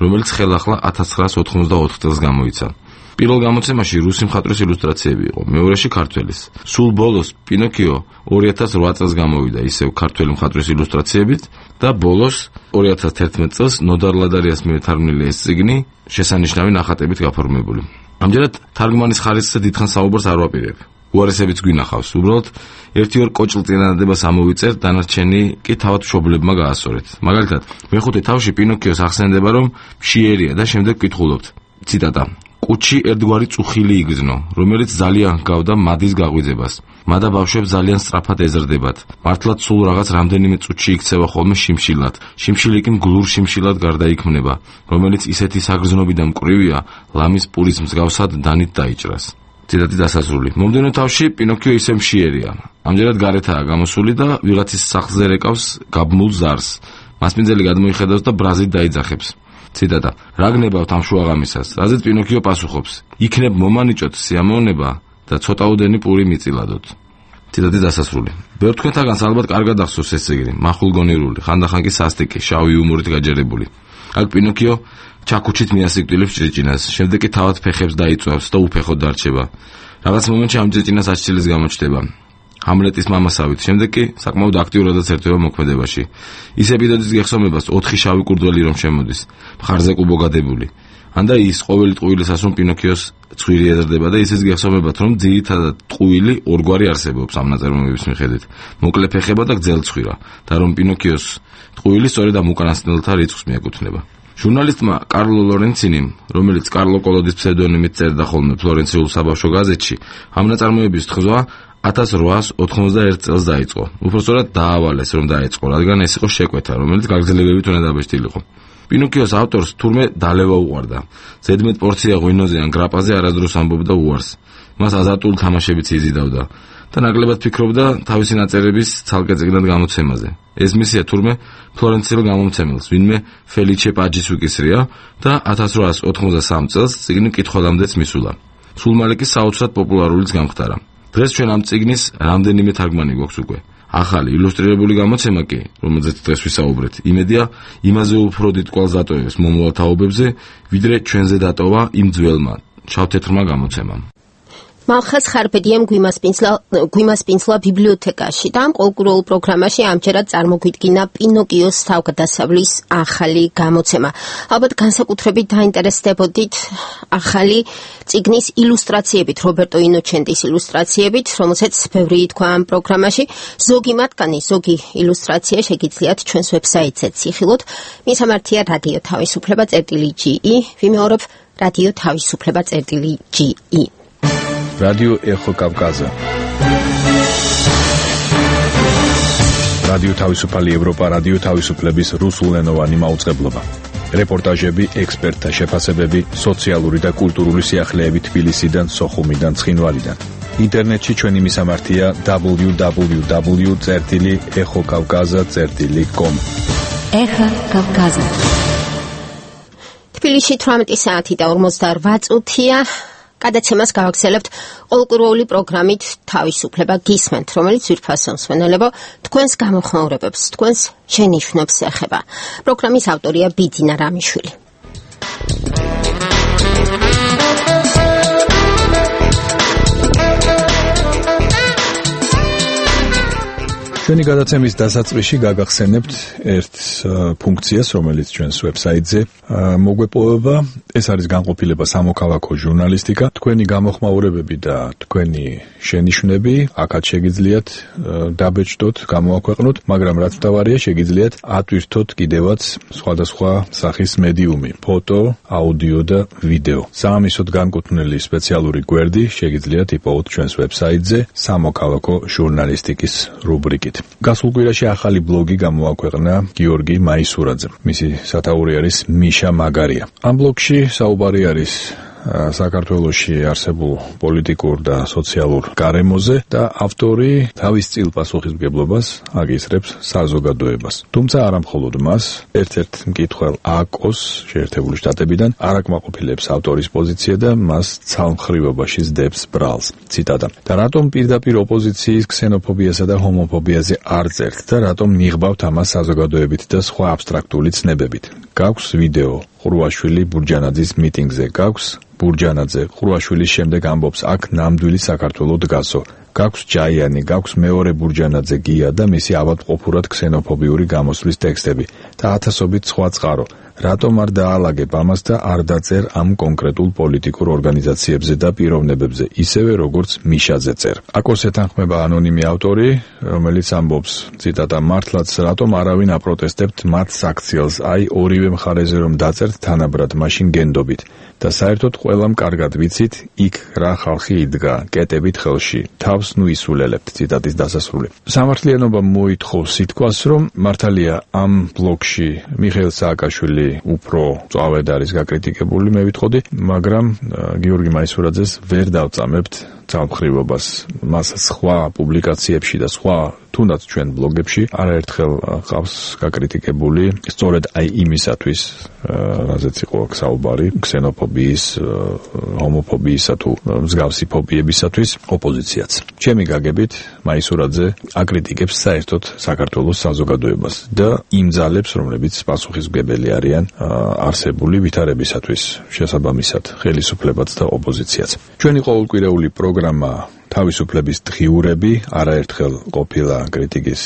რომელიც ხელახლა 1984 წელს გამოიცა. პირველ გამოცემაში რუსი მხატვრის ილუსტრაციები იყო, მეორეში ქართველის. სულ ბოლოს პინოკიო 2008 წელს გამოვიდა ისევ ქართველი მხატვრის ილუსტრაციებით და ბოლოს 2011 წელს ნოდარ ლადარიას მიერ თარგმნილი ეს წიგნი შესანიშნავი ნახატებით გაფორმებული. ამჯერად თარგმანის ხარისხზე დიდხანს საუბარს არ ვაპირებ. უარესებიც გვინახავს, უბრალოდ ერთი-ორ კოჭლ წინადადებას ამოვიწერ, დანარჩენი კი თავად მშობლებმა გაასწორეთ. მაგალითად, მეხუთე თავში პინოკიოს ახსენდება, რომ მშიერია და შემდეგ ვკითხულობთ. ციტატა: კუჩი ერთგვარი წუხილი იგრძნო, რომელიც ძალიან ჰგავდა მადის გაღვიძებას. მადა ბავშვებს ძალიან სწრაფად ეზრდებათ. მართლაც სულ რაღაც რამდენიმე წუთში იქცევა ხოლმე შიმშილად. შიმშილი კი მგლურ შიმშილად გარდაიქმნება, რომელიც ისეთი საგრძნობი და მკვრივია, ლამის პურის მსგავსად დანით დაიჭრას. ციტატი დასასრული. მომდევნო თავში პინოკიო ისე მშიერია. ამჯერად გარეთაა გამოსული და ვიღაცის სახლზე რეკავს გაბმულ ზარს. მასპინძელი გადმოიხედავს და ბრაზით დაიძახებს. ციტატა: რა გნებავთ ამ შუაღამისას? რაზეც პინოკიო პასუხობს: იქნებ მომანიჭოთ სიამოვნება და ცოტაოდენი პური მიწილადოთ. ციტატი დასასრული. ბევრ თქვენთაგანს ალბათ კარგად ახსოვს ეს წიგნი, მახულგონირული, ხანდახან კი სასტიკი, შავი იუმორით გაჯერებული. აქ პინოკიო ჩაქუჩით მიასიკვდილებს ჭრიჭინას, შემდეგ კი თავად ფეხებს დაიწვევს და უფეხოდ დარჩება. რაღაც მომენტში ამ ჭრიჭინას აშჩილის გამოჩნდება. ჰამლეტის მამასავით, შემდეგ კი საკმაოდ აქტიურადაც ერთვება მოქმედებაში. ის ეპიზოდის გეხსომებას 4 შავი კურდღელი რომ შემოდის, მხარზე კუბოგადებული. ანდა ის ყოველი ტყუილისას რომ პინოკიოს ცხვირი ეზრდება და ისიც გეხსომებათ, რომ ძირითადად ტყუილი ორგვარი არსებობს ამ ნაწარმოების მიხედვით. მოკლე ფეხება და გძელცხვირა და რომ პინოკიოს ტყუილი სწორედ ამ უკანასკნელთა რიცხვს მიეკუთვნება. ჟურნალისტმა კარლო ლორენცინიმ, რომელიც კარლო კოლოდის ფსევდონიმით წერდა ხოლმე ფლორენციულ საბავშვო გაზეთში, ამ ნაწარმოების თხზვა 1891 წელს დაიწყო. უпростоრად დაავალეს, რომ დაიწყო, რადგან ეს იყო შეკვეთა, რომელიც გაგრძელებებით უნდა დაბეჭდილიყო. პინოკიოს ავტორს თურმე დალევა უყვარდა. ზედმეტ პორცია ღვინოზე ან გრაპაზე არასდროს ამბობდა უარს. მას აზარტული თამაშებიც იზიდავდა და ნაკლებად ფიქრობდა თავისი ნაწერების ცალკე წიგნად გამოცემაზე. ეს მისია თურმე ფლორენციელ გამომცემელს, ვინმე ფელიჩე პაჯის უკისრია და 1893 წელს წიგნი მკითხველამდეც მისულა. სულ მალე კი საოცრად პოპულარულიც გამხდარა. დღეს ჩვენ ამ წიგნის რამდენიმე თარგმანი გვაქვს უკვე. ახალი ილუსტრირებული გამოცემა კი, რომელზეც დღეს ვისაუბრეთ, იმედია იმაზე უფრო დიდ კვალს დატოვებს მომავალ თაობებზე, ვიდრე ჩვენზე დატოვა იმ ძველმა შავ-თეთრმა გამოცემამ. მალხაზ ხარბედიამ გვიმასპინძლა ბიბლიოთეკაში და ამ კულტურულ პროგრამაში ამჯერად წარმოგვიდგინა პინოკიოს თავგადასავლის ახალი გამოცემა. ალბათ განსაკუთრებით დაინტერესდებოდით ახალი წიგნის ილუსტრაციებით, რობერტო ინოჩენტის ილუსტრაციებით, რომელსაც ბევრი ითქვა ამ პროგრამაში. ზოგი მათგანი, ზოგი ილუსტრაცია შეგიძლიათ ჩვენს ვებსაიტზე ციხილოთ. მისამართია რადიო თავისუფლება.ge, ვიმეორებ რადიო თავისუფლება.ge. რადიო ეხო კავკაზა. რადიო თავისუფალი ევროპა, რადიო თავისუფლების რუსულენოვანი მაუწყებლობა. რეპორტაჟები, ექსპერტთა შეფასებები, სოციალური და კულტურული სიახლეები თბილისიდან, სოხუმიდან, ცხინვალიდან. ინტერნეტში ჩვენი მისამართია www.ეხოკავკაზა.com. ეხა კავკაზა. თბილისში 18 საათი და 48 წუთია. გადაცემას გავაგრძელებთ კულტურული პროგრამით თავისუფლება გისმენთ, რომელიც ძვირფასო მსმენელებო თქვენს გამოხმაურებებს, თქვენს შენიშვნებს ეხება. პროგრამის ავტორია ბიძინა რამიშვილი. ჩვენი გადაცემის დასაწყისში გაგახსენებთ ერთ ფუნქციას, რომელიც ჩვენს ვებსაიტზე მოგვეპოვება. ეს არის განყოფილება სამოქალაქო ჟურნალისტიკა. თქვენი გამოხმაურებები და თქვენი შენიშვნები აქაც შეგიძლიათ დაბეჭდოთ, გამოაქვეყნოთ, მაგრამ რაც მთავარია, შეგიძლიათ ატვირთოთ კიდევაც სხვადასხვა სახის მედიუმი, ფოტო, აუდიო და ვიდეო. საამისოდ განკუთვნილი სპეციალური გვერდი შეგიძლიათ იპოვოთ ჩვენს ვებსაიტზე სამოქალაქო ჟურნალისტიკის რუბრიკით. გასულ კვირაში ახალი ბლოგი გამოაქვეყნა გიორგი მაისურაძემ. მისი სათაური არის მიშა მაგარია. ამ ბლოგში საუბარი არის საქართველოში არსებულ პოლიტიკურ და სოციალურ გარემოზე და ავტორი თავის წილ პასუხისმგებლობას აგისრებს საზოგადოებას. თუმცა არა მხოლოდ მას, ერთ-ერთ მკითხველს აკოს შეერთებული შტატებიდან არ აკმაყოფილებს ავტორის პოზიცია და მას ცალმხრივობაში სდებს ბრალს. ციტატა: და რატომ პირდაპირ ოპოზიციის ქსენოფობიასა და ჰომოფობიაზე არ წერთ და რატომ მიღბავთ ამას საზოგადოებით და სხვა აბსტრაქტული ცნებებით? გაქვს ვიდეო ყრუაშვილი ბურჯანაძის მიტინგზე, გაქვს ბურჯანაძე ყრუაშვილის შემდეგ ამბობს აქ ნამდვილი საქართველო დგასო. გაქვს ჯაიანი, გაქვს მეორე ბურჯანაძე გია და მისი ავადმყოფურად ქსენოფობიური გამოსვლის ტექსტები და ათასობით სხვა წყარო. რატომ არ დაალაგებ ამას და არ დაწერ ამ კონკრეტულ პოლიტიკურ ორგანიზაციებზე და პიროვნებებზე, ისევე როგორც მიშაძე წერ. აკოს ეთანხმება ანონიმი ავტორი, რომელიც ამბობს, ციტატა: მართლაც რატომ არავინ აპროტესტებთ მათ საქციელს, აი ორივე მხარეზე რომ დაწერთ თანაბრად, მაშინ გენდობით. და საერთოდ ყველამ კარგად ვიცით, იქ რა ხალხი იდგა, კეტებით ხელში, თავს ნუ ისულელებთ. ციტატის დასასრული. სამართლიანობა მოითხოვს სიტყვას, რომ მართალია ამ ბლოგში მიხეილ სააკაშვილი უფრო წავედ არის გაკრიტიკებული, მე ვიტყოდი, მაგრამ გიორგი მაისურაძეს ვერ დავწამებთ ცალმხრივობას. მას სხვა პუბლიკაციებში და სხვა თუნდაც ჩვენ ბლოგებში არაერთხელ ყავს გაკრიტიკებული, სწორედ აი იმისათვის, რაზეც იყო საუბარი, ქსენოფობიის, ჰომოფობიისა თუ მსგავსი ფობიებისათვის ოპოზიციაც. ჩემი გაგებით, მაისურაძე აკრიტიკებს საერთოდ საქართველოს საზოგადოებას და იმ ძალებს, რომლებიც პასუხისმგებელი არიან არსებული ვითარებისათვის, შესაბამისად, ხელისუფლებაც და ოპოზიციაც. ჩვენი ყოველკვირეული პროგრამა თავისუფლების დღიურები არაერთხელ ყოფილა კრიტიკის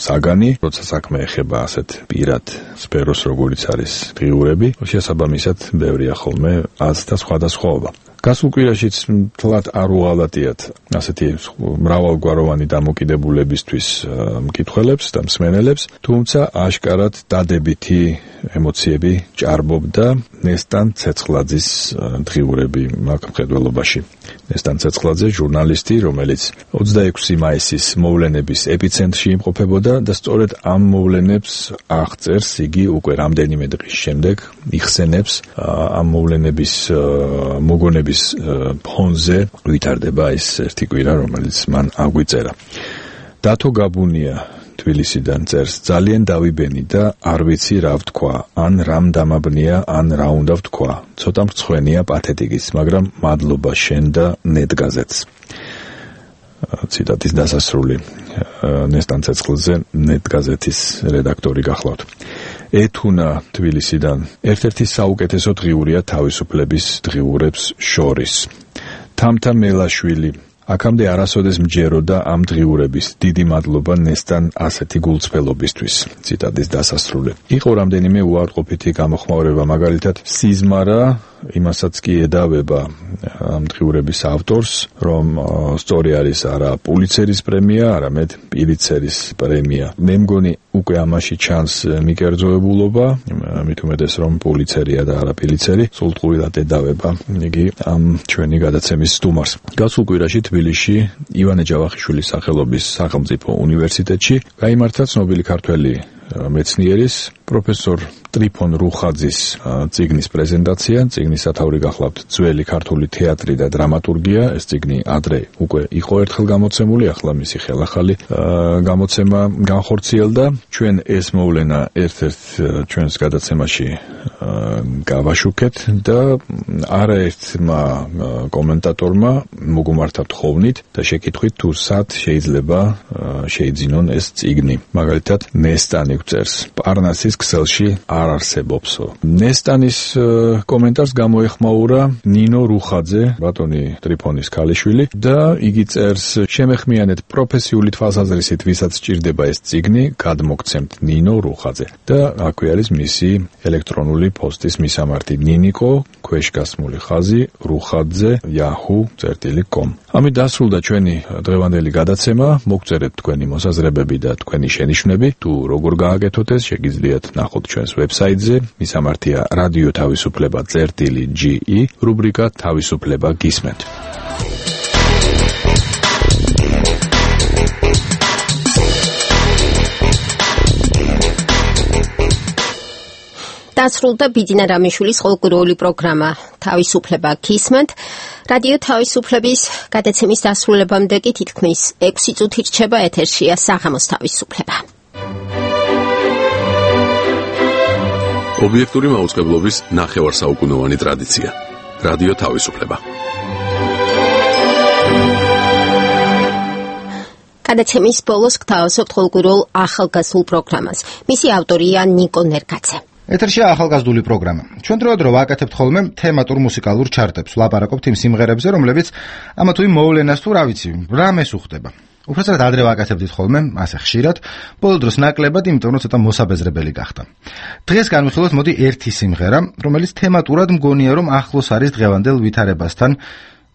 საგანი, როცა საქმე ეხება ასეთ პირად სფეროს, როგორიც არის დღიურები, შესაბამისად ბევრია ხოლმე აზრ და სხვადასხვაობა. გასულ კვირაშიც თლად არ უღალატიათ ასეთი მრავალგვაროვანი დამოკიდებულებისთვის მკითხველებს და მსმენელებს, თუმცა აშკარად დადებითი ემოციები ჭარბობდა ნესტან ცეცხლაძის დღიურები მაგ მხედველობაში. ნესტან ცეცხლაძე ჟურნალისტი, რომელიც 26 მაისის მოვლენების ეპიცენტრში იმყოფებოდა და სწორედ ამ მოვლენებს აღწერს იგი უკვე რამდენიმე დღის შემდეგ, იხსენებს ამ მოვლენების მოგონების ფონზე ვითარდება ეს ერთი კვირა, რომელიც მან აგვიწერა. დათო გაბუნია თბილისიდან წერს: ძალიან დავიბენი და არ ვიცი რა ვთქვა, ან რამ დამაბნია, ან რა უნდა ვთქვა. ცოტა მრცხვენია პათეტიკის, მაგრამ მადლობა შენ და ნეტგაზეთს. ციტატის დასასრული. ნესტან ცეცხლაძე ნეტგაზეთის რედაქტორი გახლავთ. ეთუნა თბილისიდან ერთ-ერთი საუკეთესო დღიურია თავისუფლების დღიურებს შორის. თამთა მელაშვილი: აქამდე არასოდეს მჯეროდა ამ დღიურების. დიდი მადლობა ნესტან ასეთი გულწრფელობისთვის. ციტატის დასასრული. იყო რამდენიმე უარყოფითი გამოხმაურება, მაგალითად სიზმარა იმასაც კი ედავება ამ დღიურების ავტორს, რომ სწორი არის არა პულიცერის პრემია, არამედ პილიცერის პრემია. მე მგონი უკვე ამაში ჩანს მიკერძოებულობა, მით უმეტეს რომ პულიცერია და არა პილიცერი, სულტყუილად ედავება იგი ამ ჩვენი გადაცემის სტუმარს. გასულ კვირაში თბილისში ივანე ჯავახიშვილის სახელობის სახელმწიფო უნივერსიტეტში გაიმართა ცნობილი ქართველი მეცნიერის პროფესორ ტრიფონ რუხაძის წიგნის პრეზენტაცია. წიგნის სათაური გახლავთ ძველი ქართული თეატრი და დრამატურგია. ეს წიგნი ადრე უკვე იყო ერთხელ გამოცემული, ახლა მისი ხელახალი გამოცემა განხორციელდა. ჩვენ ეს მოვლენა ერთ-ერთ ჩვენს გადაცემაში გავაშუქეთ და არაერთმა კომენტატორმა მოგუმართა თხოვნით და შეკითხვით თუ სად შეიძლება შეიძინონ ეს წიგნი. მაგალითად ნესტანი გვწერს: პარნასის ქსელში არ არსებობსო. ნესტანის კომენტარს გამოეხმაურა ნინო რუხაძე, ბატონი ტრიფონის ქალიშვილი და იგი წერს: შემეხმიანეთ პროფესიული თვალსაზრისით, ვისაც სჭირდება ეს წიგნი, გადმოგცემთ ნინო რუხაძე. და აქვე არის მისი ელექტრონული პოსტის მისამართი: ნინიკო ქვეშგასმული ხაზი რუხაძე yahoo.com. ამით დასრულდა ჩვენი დღევანდელი გადაცემა. მოგწერეთ თქვენი მოსაზრებები და თქვენი შენიშვნები. თუ როგორ გააკეთოთ ეს, შეგიძლიათ ნახოთ ჩვენს ვებსაიტზე. მისამართია რადიო თავისუფლება წერტილი.ge, რუბრიკა თავისუფლება გისმენთ. დასრულდა ბიძინა რამიშვილის ყოველკვირეული პროგრამა თავისუფლება გისმენთ. რადიო თავისუფლების გადაცემის დასრულებამდე კი თითქმის 6 წუთი რჩება ეთერშია საღამოს თავისუფლება. ობიექტური მაუწყებლობის ნახევარსაუკუნოვანი ტრადიცია. რადიო თავისუფლება. გადაცემის ბოლოს გთავაზობთ ყოველკვირეულ ახალგაზრდულ პროგრამას. მისი ავტორია ნიკო ნერგაძე. ეთერშია ახალგაზრდული პროგრამა. ჩვენ დროდადრო ვაკეთებთ ხოლმე თემატურ მუსიკალურ ჩარტებს, ვლაპარაკობთ იმ სიმღერებზე, რომლებიც ამა თუ იმ მოვლენას თუ რა ვიცი, რამეს უხდება. უბრალოდ ადრე ვაკეთებდით ხოლმე, ასე ხშირად, ბოლო დროს ნაკლებად, იმიტომ რომ ცოტა მოსაბეზრებელი გახდა. დღეს განვიხილოთ მოდი ერთი სიმღერა, რომელიც თემატურად მგონია რომ ახლოს არის დღევანდელ ვითარებასთან,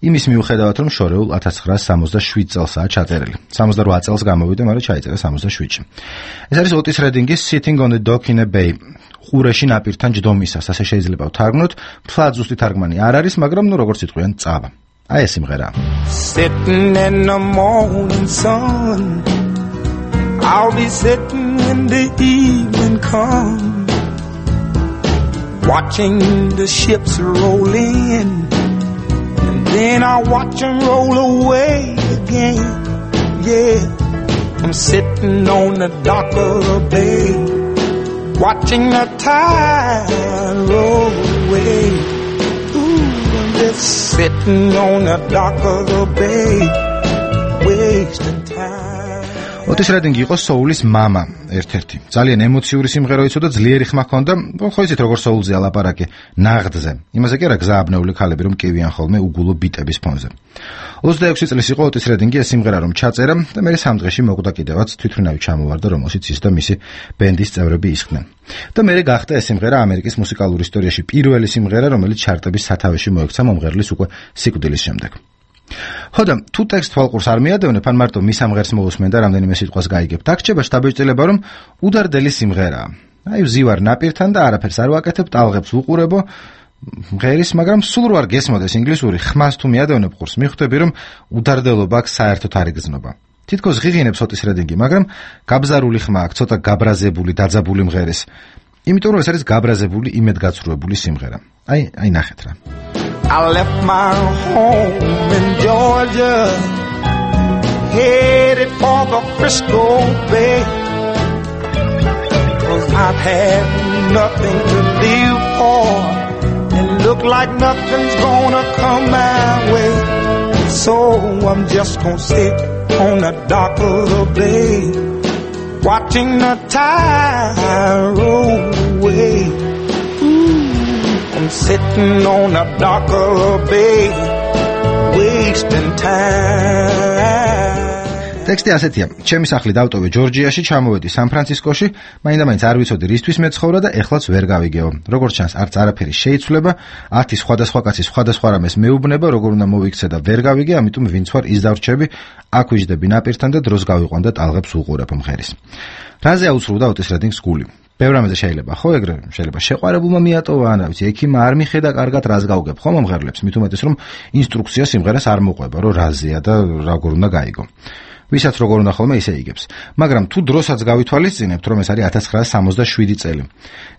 იმის მიუხედავად რომ შორეულ 1967 წელსაა ჩაწერილი. 68 წელს გამოვიდა, მაგრამ ჩაიწერა 67-ში. ეს არის ოტის რედინგის Sitting on the Dock in a Bay. ყურეში ნაპირთან ჯდომისას, ასე შეიძლება ვთარგმნოთ. მთლად ზუსტი თარგმანი არ არის, მაგრამ ნუ როგორც იტყვიან, წავა. აი ეს სიმღერა. Sitting in the morning sun, I'll be sitting when the evening comes, watching the ships roll in, and then I'll watch them roll away again. Yeah, I'm sitting on the dock of the bay, watching the tide roll away. Ooh, I'm just sitting on the dock of the bay, wasting time. ოტის რედინგი იყო soul-ის მამა, ერთ-ერთი. ძალიან ემოციური სიმღერა იყო და ძლიერი ხმა ჰქონდა, ხო იცით როგორ soul-ზე ალაპარაკი, ნაღდზე. იმაზე კი არა გზააბნეული ქალები რომ კივიან ხოლმე უგულო ბიტების ფონზე. 26 წლის იყო ოტის რედინგი ეს სიმღერა რომ ჩაწერა და მე სამ დღეში მოკვდა კიდევაც თვითმფრინავი ჩამოვარდა რომელშიც ის და მისი ბენდის წევრები ისხდნენ. და მე გახდა ეს სიმღერა ამერიკის მუსიკალურ ისტორიაში პირველი სიმღერა რომელიც ჩარტების სათავეში მოექცა მომღერლის უკვე სიკვდილის შემდეგ. ხოდა თუ ტექსტ თვალყურს არ მიადევნებ ან მარტო მის ამღერს მოусმენ და რამდენიმე სიტყვას გაიგებთ, აქ ჩება შთაბეჭდილება რომ უდარდელი სიმღერაა. აი ვზივარ ნაპირთან და არაფერს არ ვაკეთებ, ტალღებს ვუყურებო მღერის, მაგრამ სულ რო არ გესმოდეს ინგლისური, ხმას თუ მიადევნებ ყურს, მიხვდები რომ უდარდელობა აქ საერთოდ არ იგრძნობა. თითქოს ღიღინებს ოტის რედინგი, მაგრამ გაბზარული ხმა აქ ცოტა გაბრაზებული, დაძაბული მღერის. იმიტომ რომ ეს არის გაბრაზებული, იმედგაცრუებული სიმღერა. აი ნახეთ რა. I left my home in Georgia, headed for the Frisco Bay, 'cause I've had nothing to live for, and look like nothing's gonna come my way. So I'm just gonna sit on the dock of the bay, watching the tide roll away. I'm sitting on the dock of the bay, wasting time. ტექსტი ასეთია: ჩემი სახლი დავტოვე ჯორჯიაში, ჩამოვედი სან-ფრანცისკოში, მაინდა-მაინც არ ვიცოდი რისთვის მეცხოვრა და ეხლაც ვერ გავიგეო. როგორც ჩანს, არც არაფერი შეიცვლება, 10 სხვადასხვა კაცი სხვადასხვა რამეს მეუბნება, როგორ უნდა მოვიქცე და ვერ გავიგე, ამიტომ ვინც ვარ ის დავრჩები, აქ ვიждები ნაპირთან და დროს გავიყვან და ტალღებს ვუყურებ მღერის. რაზე აუცრუდა ოტის რედინგს გული? ბევრ რამეზე შეიძლება, ხო, ეგრე შეიძლება შეყვარებულმა მიატოვა, ან რა ვიცი, ექიმმა არ მიხედა კარგად რას გავგებ, ხო, მომღერლებს, მით უმეტეს რომ ინსტრუქცია სიმღერას არ მოყვება, რომ რაზეა და როგორ უნდა გაიგო. ვისაც როგორ უნდა ხოლმე ისე იგებს. მაგრამ თუ დროსაც გავითვალისწინებთ, რომ ეს არის 1967 წელი,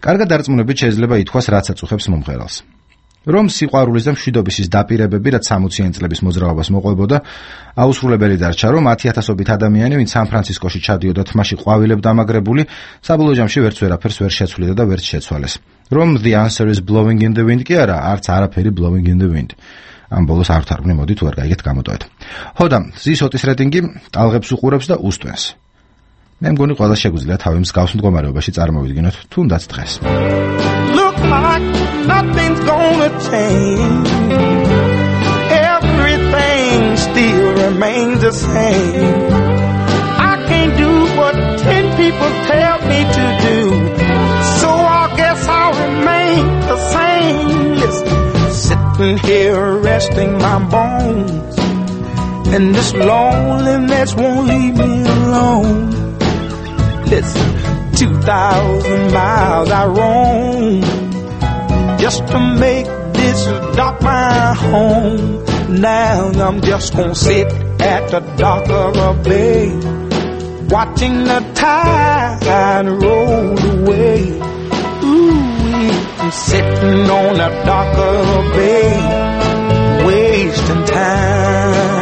კარგად დარწმუნებით შეიძლება ითქვას, რაც აწუხებს მომღერალს. რომ სიყვარულის და მშვიდობის ის დაპირებები, რაც 60-იან წლების მოძრაობას მოყვებოდა, აუსრულებელი დარჩა, რომ 10,000-ობით ადამიანი, ვინც სან-ფრანცისკოში ჩადიოდა თმაში ყვავილებ დამაგრებული, საბოლოო ჯამში ვერც ვერაფერს ვერ შეცვლიდა და ვერც შეცვალეს. რომ the answer is blowing in the wind კი არა, არც არაფერი blowing in the wind. ამ ბოლოს არ ვთარგმნი, მოდი თუ არ გაიგეთ გამოტოვეთ. ხოდა ზის ოტის რედინგი ტალღებს უყურებს და უსტვენს. მე მგონი ყველა შეგვიძლია თავი მსგავს მდგომარეობაში წარმოვიდგინოთ თუნდაც დღეს. Look like nothing's gonna change. Everything still remains the same. I can't do what 10 people tell me to do. So I guess I'll remain the same. Listen, sitting here resting my bones. And this loneliness won't leave me alone. Listen, 2,000 miles I roam just to make this dock my home. Now I'm just gonna sit at the dock of a bay, watching the tide roll away. Ooh, I'm sitting on the dock of a bay, wasting time.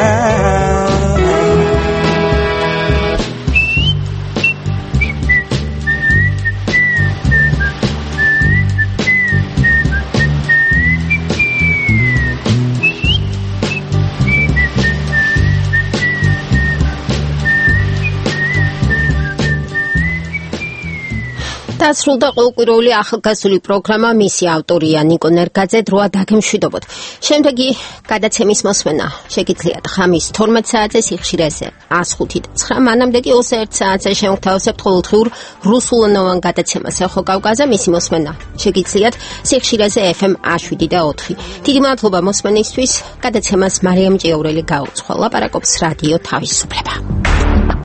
დასრულდა ყოველკვირეული ახალგაზრდული პროგრამა მისი ავტორია ნიკო ნერგაძე დროა დაგემშვიდობოთ. შემდეგი გადაცემის მოსმენა შეგიძლიათ ხამის 12 საათზე სიხშირეზე 105.9 მანამდე კი 21 საათზე შემოგთავაზებთ ყოველდღიურ რუსულენოვან გადაცემას ეხო კავკაზე მისი მოსმენა შეგიძლიათ სიხშირეზე FM 107.4. დიდი მადლობა მოსმენისთვის. გადაცემას მარიამ ჭიაურელი გაუძღვა. ლაპარაკობს რადიო თავისუფლება.